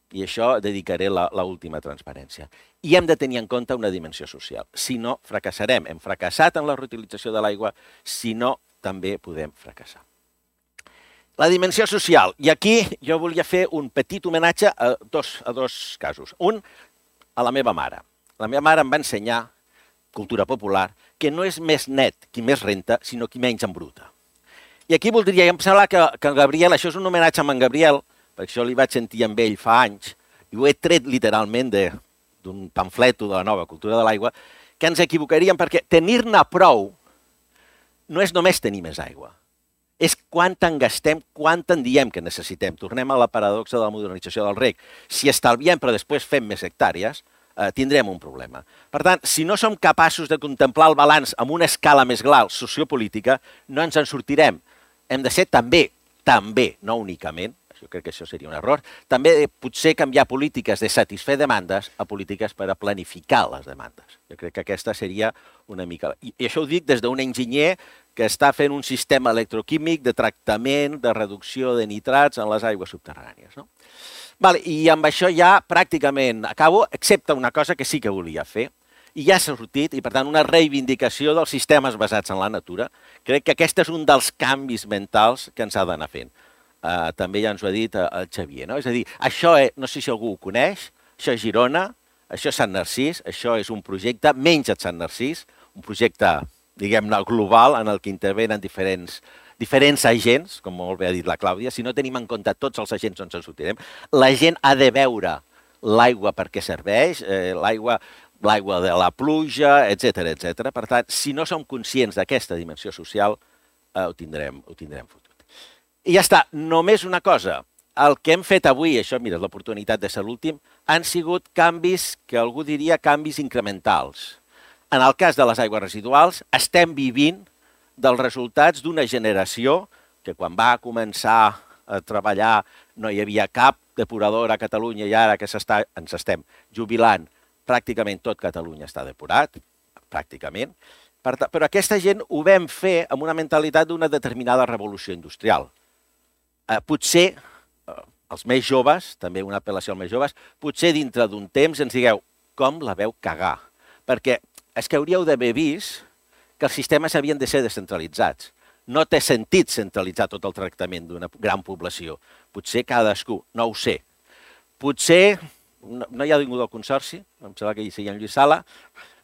I això dedicaré l'última transparència. I hem de tenir en compte una dimensió social. Si no, fracassarem. Hem fracassat en la reutilització de l'aigua, si no, també podem fracassar. La dimensió social. I aquí jo volia fer un petit homenatge a dos casos. Un, a la meva mare. La meva mare em va ensenyar, cultura popular, que no és més net qui més renta, sinó qui menys embruta. I aquí voldria, em sembla que en Gabriel, això és un homenatge a en Gabriel, perquè això li vaig sentir amb ell fa anys, i ho he tret literalment d'un pamfleto de la nova cultura de l'aigua, que ens equivocaríem perquè tenir-ne prou no és només tenir més aigua, és quant en gastem, quant en diem que necessitem. Tornem a la paradoxa de la modernització del reg. Si estalviem però després fem més hectàrees, tindrem un problema. Per tant, si no som capaços de contemplar el balanç amb una escala més global sociopolítica, no ens en sortirem. Hem de ser també, no únicament, jo crec que això seria un error, també potser canviar polítiques de satisfer demandes a polítiques per a planificar les demandes. Jo crec que aquesta seria una mica... I això ho dic des d'un enginyer que està fent un sistema electroquímic de tractament, de reducció de nitrats en les aigües subterrànies. I amb això ja pràcticament acabo, excepte una cosa que sí que volia fer, i ja s'ha sortit, i per tant una reivindicació dels sistemes basats en la natura. Crec que aquest és un dels canvis mentals que ens ha d'anar fent. També ja ens ho ha dit el Xavier. És a dir, això, no sé si algú ho coneix, això és Girona, això és Sant Narcís, això és un projecte, menja't Sant Narcís, un projecte, diguem-ne, global, en el que intervenen diferents agents, com molt bé ha dit la Clàudia. Si no tenim en compte tots els agents, no ens en sortirem. La gent ha de veure l'aigua per què serveix, l'aigua de la pluja, etc. Per tant, si no som conscients d'aquesta dimensió social, ho tindrem fotut. I ja està, només una cosa. El que hem fet avui, això, mira, l'oportunitat de ser l'últim, han sigut canvis que algú diria canvis incrementals. En el cas de les aigües residuals, estem vivint dels resultats d'una generació que quan va començar a treballar no hi havia cap depurador a Catalunya i ara que ens estem jubilant, pràcticament tot Catalunya està depurat, pràcticament. Però aquesta gent ho vam fer amb una mentalitat d'una determinada revolució industrial. Potser, els més joves, també una apel·lació als més joves, potser dintre d'un temps ens digueu com la veu cagar. Perquè és que hauríeu d'haver vist que els sistemes havien de ser descentralitzats. No té sentit centralitzar tot el tractament d'una gran població. Potser cadascú, no ho sé. Potser, no hi ha ningú del Consorci, em sembla que hi sigui en Lluís Sala,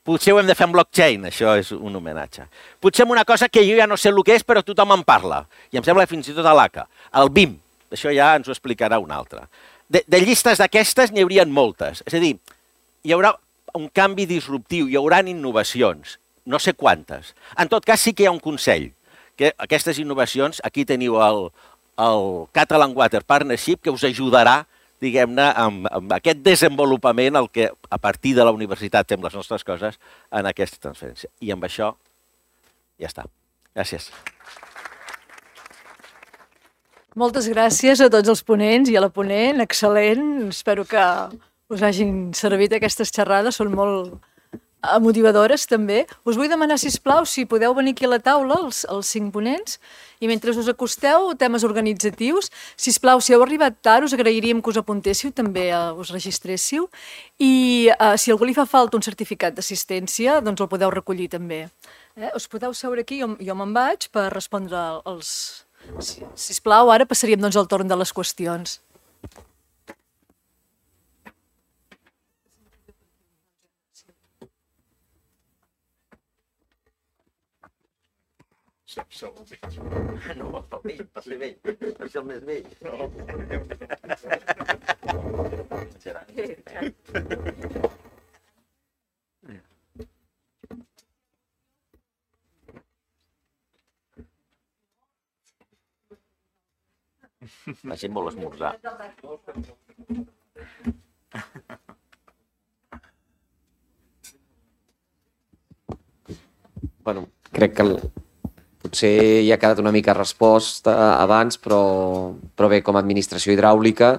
potser ho hem de fer amb blockchain, això és un homenatge. Potser amb una cosa que jo ja no sé el que és, però tothom en parla. I em sembla fins i tot a l'ACA. El BIM, això ja ens ho explicarà un altre. De llistes d'aquestes n'hi haurien moltes. És a dir, hi haurà un canvi disruptiu, hi haurà innovacions, no sé quantes. En tot cas, sí que hi ha un consell, que aquestes innovacions, aquí teniu el Catalan Water Partnership, que us ajudarà, diguem-ne, amb aquest desenvolupament el que a partir de la universitat fem les nostres coses en aquesta transferència. I amb això ja està. Gràcies. Moltes gràcies a tots els ponents i a la ponent, excel·lent. Espero que us hagin servit aquestes xerrades, són molt motivadores també. Us vull demanar, sisplau, si podeu venir aquí a la taula, els 5 ponents, i mentre us acosteu, temes organitzatius. Sisplau, si heu arribat tard, us agrairíem que us apuntéssiu, també us registréssiu, i si a algú li fa falta un certificat d'assistència, doncs el podeu recollir també. Us podeu seure aquí, jo me'n vaig per respondre els... Sisplau, ara passaríem doncs al torn de les qüestions. No, per ser vell, per ser el més vell. La gent vol esmorzar. Bueno, crec que potser ja ha quedat una mica resposta abans, però bé, com a administració hidràulica,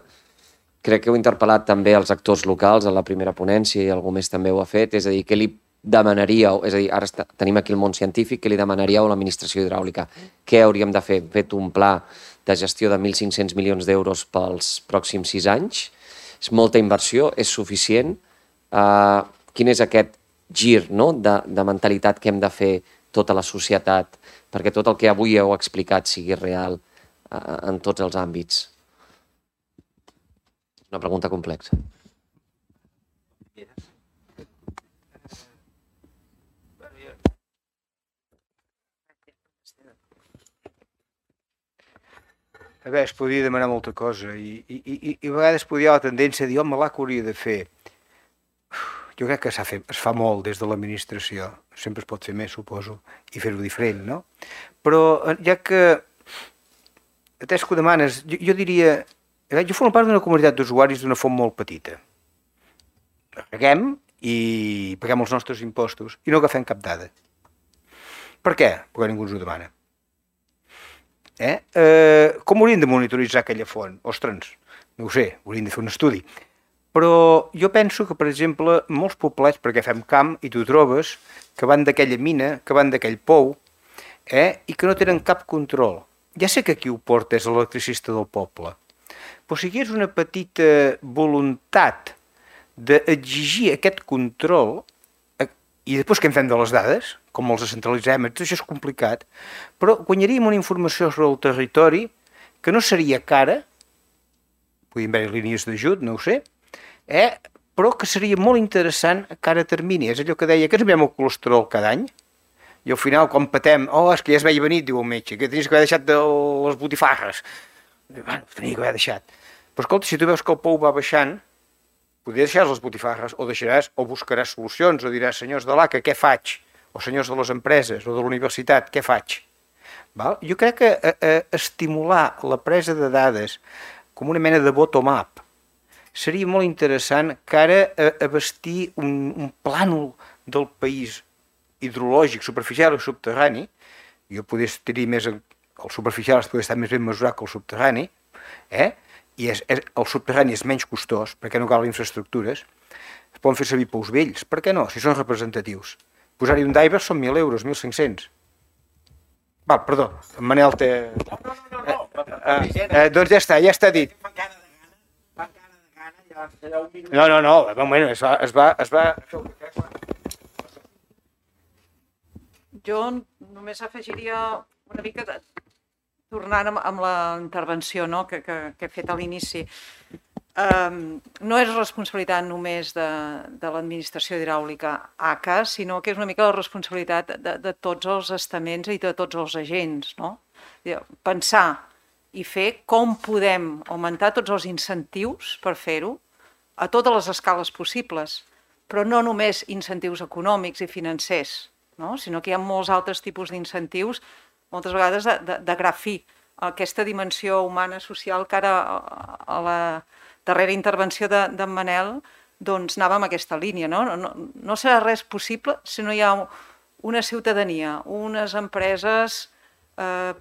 crec que heu interpel·lat també els actors locals a la primera ponència i algú més també ho ha fet, és a dir, què li demanaríeu, és a dir, ara tenim aquí el món científic, què li demanaríeu a l'administració hidràulica? Què hauríem de fer? Fet un pla de gestió de 1.500 milions d'euros pels pròxims 6 anys? És molta inversió? És suficient? Quin és aquest gir de mentalitat que hem de fer tota la societat perquè tot el que avui heu explicat sigui real en tots els àmbits? Una pregunta complexa. A veure, es podia demanar molta cosa i a vegades podia haver la tendència a dir, home, l'ACA hauria de fer. Jo crec que es fa molt des de l'administració, sempre es pot fer més, suposo, i fer-ho diferent, no? Però ja que, atès que ho demanes, jo diria, jo formo part d'una comunitat d'usuaris d'una font molt petita. Reguem i paguem els nostres impostos i no agafem cap dada. Per què? Perquè ningú ens ho demana. Com hauríem de monitoritzar aquella font? Ostres, no ho sé, hauríem de fer un estudi. Però jo penso que, per exemple, molts poblets, perquè fem camp i tu trobes que van d'aquella mina, que van d'aquell pou, i que no tenen cap control. Ja sé que qui ho porta és l'electricista del poble, però si hi hagués una petita voluntat d'exigir aquest control, i després què en fem de les dades, com els centralitzem, tot això és complicat, però guanyaríem una informació sobre el territori que no seria cara, podríem haver línies d'ajut, no ho sé, però que seria molt interessant a cara termini. És allò que deia, que ens mirem el colesterol cada any, i al final, quan patem, és que ja es veia venir, diu el metge, que tenies que haver deixat de les botifarres. Bueno, tenia que haver deixat. Però escolta, si tu veus que el pou va baixant, podries deixar les botifarres, o deixaràs, o buscaràs solucions, o diràs, senyors de l'ACA, què faig? O senyors de les empreses, o de la universitat, què faig? Jo crec que estimular la presa de dades com una mena de bottom-up seria molt interessant que ara a bastir un plànol del país hidrològic, superficial i subterrani, jo podria tenir més, el superficial podria estar més ben mesurat que el subterrani, i el subterrani és menys costós, perquè no calen infraestructures, es poden fer servir pous vells, per què no, si són representatius? Posar-hi un diver són 1.000 euros, 1.500. Val, perdó, en Manel té... Doncs ja està dit. No, un moment, es va... Jo només afegiria una mica, tornant amb la intervenció que he fet a l'inici. No és responsabilitat només de l'administració hidràulica ACA, sinó que és una mica la responsabilitat de tots els estaments i de tots els agents. Pensar i fer com podem augmentar tots els incentius per fer-ho a totes les escales possibles, però no només incentius econòmics i financers, sinó que hi ha molts altres tipus d'incentius, moltes vegades de gra fi, aquesta dimensió humana, social, que ara a la darrera intervenció d'en Manel anava en aquesta línia. No serà res possible si no hi ha una ciutadania, unes empreses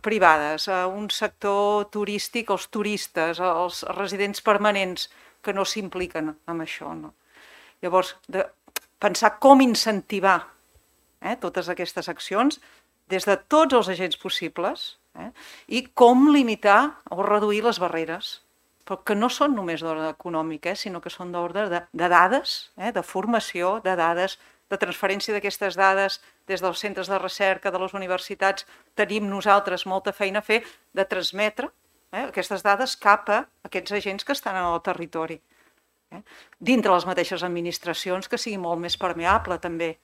privades, un sector turístic, els turistes, els residents permanents que no s'impliquen en això. Llavors, pensar com incentivar totes aquestes accions des de tots els agents possibles i com limitar o reduir les barreres, però que no són només d'ordre econòmic, sinó que són d'ordre de dades, de formació, de dades, de transferència d'aquestes dades des dels centres de recerca, de les universitats. Tenim nosaltres molta feina a fer de transmetre aquestes dades cap a aquests agents que estan en el territori. Dintre les mateixes administracions, que sigui molt més permeable també,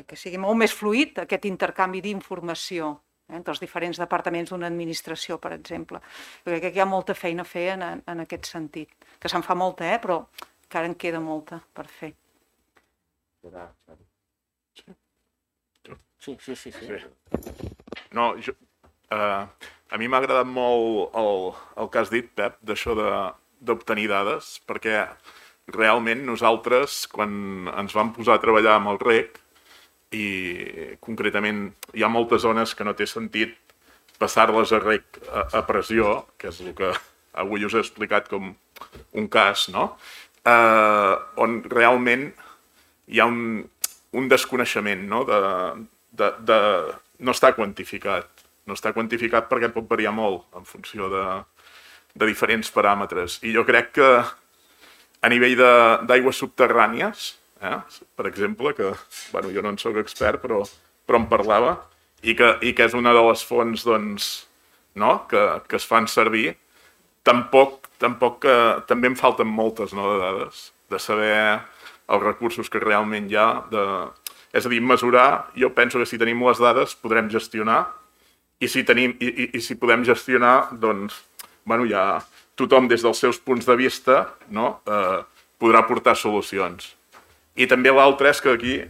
que sigui molt més fluid aquest intercanvi d'informació entre els diferents departaments d'una administració, per exemple. Jo crec que hi ha molta feina a fer en aquest sentit, que se'n fa molta, però encara en queda molta per fer. Sí. No, a mi m'ha agradat molt el que has dit, Pep, d'això d'obtenir dades, perquè realment nosaltres, quan ens vam posar a treballar amb el REC, i concretament hi ha moltes zones que no té sentit passar-les a REC a pressió, que és el que avui us he explicat com un cas, no? On realment hi ha un desconeixement, no? No està quantificat. No està quantificat perquè pot variar molt en funció de diferents paràmetres. I jo crec que a nivell d'aigües subterrànies, per exemple, que jo no en soc expert, però en parlava, i que és una de les fonts que es fan servir, també em falten moltes de dades, de saber els recursos que realment hi ha. És a dir, mesurar, jo penso que si tenim les dades podrem gestionar, i si podem gestionar, doncs, ja tothom des dels seus punts de vista podrà aportar solucions. I també l'altre és que aquí,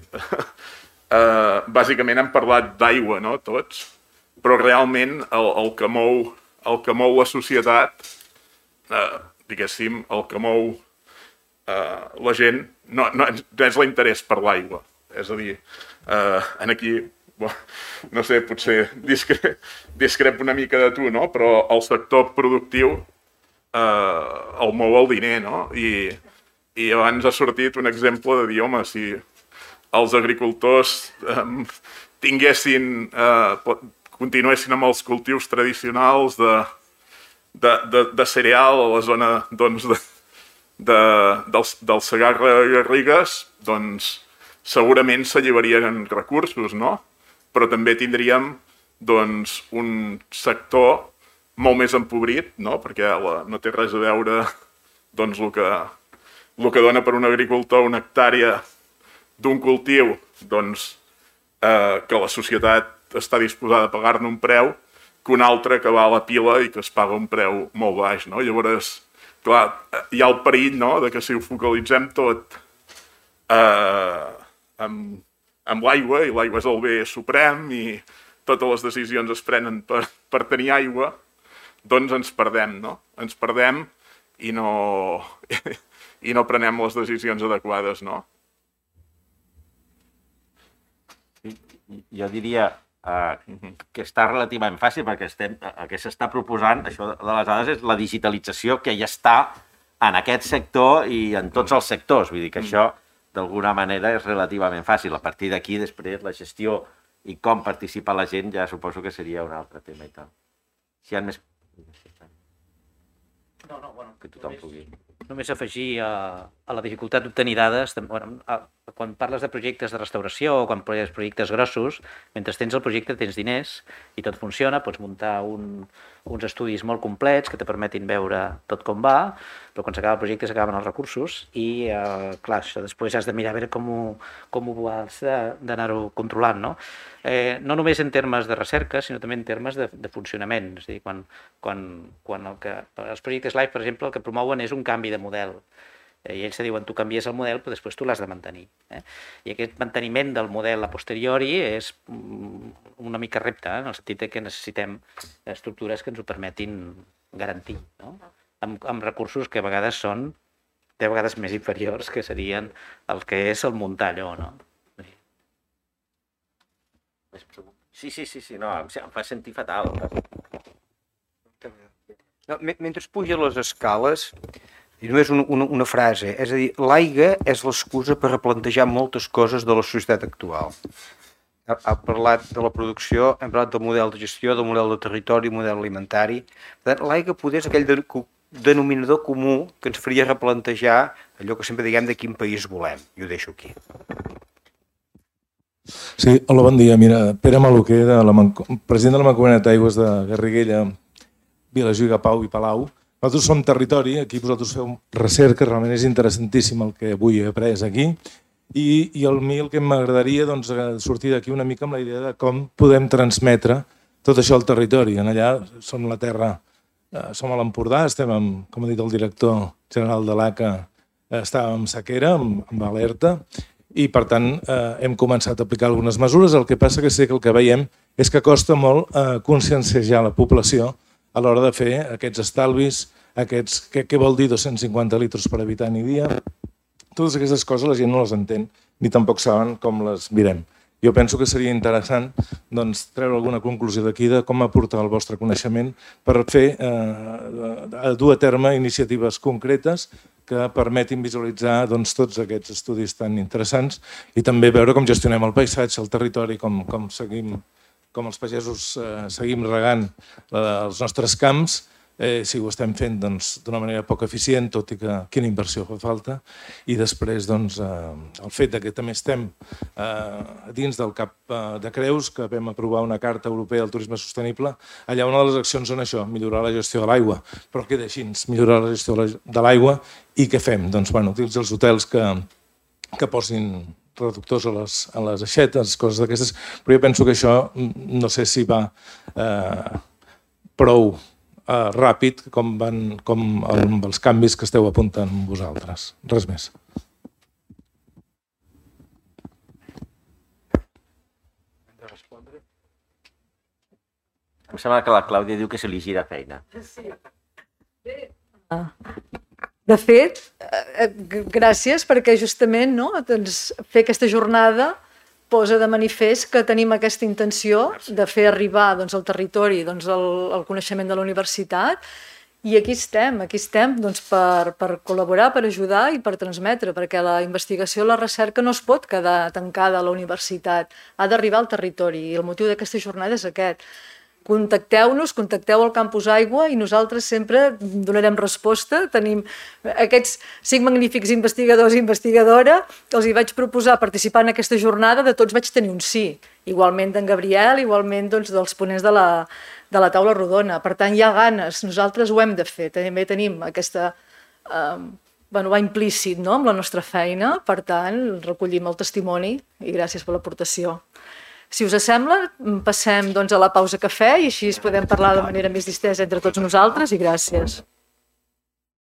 bàsicament hem parlat d'aigua, tots, però realment el que mou la societat, diguéssim, el que mou la gent, no és l'interès per l'aigua. És a dir, aquí, no sé, potser discrep una mica de tu, però el sector productiu el mou el diner, I abans ha sortit un exemple de dir, home, si els agricultors continuessin amb els cultius tradicionals de cereal a la zona del Segarra-Garrigues, doncs segurament s'alliberarien recursos, però també tindríem un sector molt més empobrit, perquè no té res a veure el que dona per un agricultor una hectàrea d'un cultiu que la societat està disposada a pagar-ne un preu, que un altre que va a la pila i que es paga un preu molt baix. Llavors, clar, hi ha el perill que si ho focalitzem tot amb l'aigua, i l'aigua és el bé suprem i totes les decisions es prenen per tenir aigua, doncs ens perdem, Ens perdem i no prenem les decisions adequades, Jo diria que està relativament fàcil perquè el que s'està proposant, això de les dades, és la digitalització que ja està en aquest sector i en tots els sectors. Vull dir que això, d'alguna manera, és relativament fàcil. A partir d'aquí, després, la gestió i com participa la gent ja suposo que seria un altre tema i tal. Si hi ha més... que tothom pugui... Només afegir a la dificultat d'obtenir dades, quan parles de projectes de restauració o quan parles de projectes grossos, mentre tens el projecte tens diners i tot funciona, pots muntar uns estudis molt complets que te permetin veure tot com va, però quan s'acaba el projecte s'acaben els recursos i, clar, això després has de mirar a veure com ho has d'anar-ho controlant, no només en termes de recerca, sinó també en termes de funcionament. És a dir, quan els projectes LIFE, per exemple, el que promouen és un canvi de model. I ells te diuen, tu canvies el model, però després tu l'has de mantenir. I aquest manteniment del model a posteriori és una mica repte, en el sentit que necessitem estructures que ens ho permetin garantir, amb recursos que a vegades són 10 vegades més inferiors que serien el que és el muntar allò, Sí, no, em fa sentir fatal. No, mentre puja les escales, I només una frase, és a dir, l'aigua és l'excusa per replantejar moltes coses de la societat actual. Ha parlat de la producció, hem parlat del model de gestió, del model de territori, model alimentari. Per tant, l'aigua poder és aquell denominador comú que ens faria replantejar allò que sempre diguem de quin país volem. I ho deixo aquí. Sí, hola, bon dia. Mira, Pere Maluquer, president de la Mancomunitat d'Aigües de Garriguella, Vilajuïga, Pau i Palau. Nosaltres som territori, aquí vosaltres feu recerca, realment és interessantíssim el que avui he après aquí. I a mi el que m'agradaria sortir d'aquí una mica amb la idea de com podem transmetre tot això al territori. Allà som la terra, som a l'Empordà, estem, com ha dit el director general de l'ACA, estàvem en sequera, amb alerta, i per tant hem començat a aplicar algunes mesures. El que passa que sé que el que veiem és que costa molt conscienciar la població a l'hora de fer aquests estalvis, què vol dir 250 litres per habitant i dia. Totes aquestes coses la gent no les entén ni tampoc saben com les mirem. Jo penso que seria interessant treure alguna conclusió d'aquí de com aportar el vostre coneixement per dur a terme iniciatives concretes que permetin visualitzar tots aquests estudis tan interessants i també veure com gestionem el paisatge, el territori, com els pagesos seguim regant els nostres camps, si ho estem fent d'una manera poc eficient, tot i que quina inversió fa falta, i després el fet que també estem dins del Cap de Creus, que vam aprovar una Carta Europea del Turisme Sostenible, allà una de les accions són això, millorar la gestió de l'aigua, però queda així, millorar la gestió de l'aigua, i què fem? Doncs utilitzar els hotels que posin reductors a les aixetes, coses d'aquestes, però jo penso que això no sé si va prou ràpid com amb els canvis que esteu apuntant vosaltres. Res més. Em sembla que la Clàudia diu que se li gira feina. De fet, gràcies perquè justament fer aquesta jornada posa de manifest que tenim aquesta intenció de fer arribar al territori el coneixement de la universitat i aquí estem per col·laborar, per ajudar i per transmetre, perquè la investigació i la recerca no es pot quedar tancada a la universitat, ha d'arribar al territori i el motiu d'aquesta jornada és aquest. Contacteu-nos, contacteu al Campus Aigua i nosaltres sempre donarem resposta. Tenim aquests 5 magnífics investigadors i investigadora que els hi vaig proposar participar en aquesta jornada, de tots vaig tenir un sí. Igualment d'en Gabriel, igualment dels ponents de la taula rodona. Per tant, hi ha ganes, nosaltres ho hem de fer. També tenim aquesta... va implícit amb la nostra feina, per tant, recollim el testimoni i gràcies per l'aportació. Si us sembla, passem a la pausa cafè i així podem parlar de manera més distesa entre tots nosaltres i gràcies.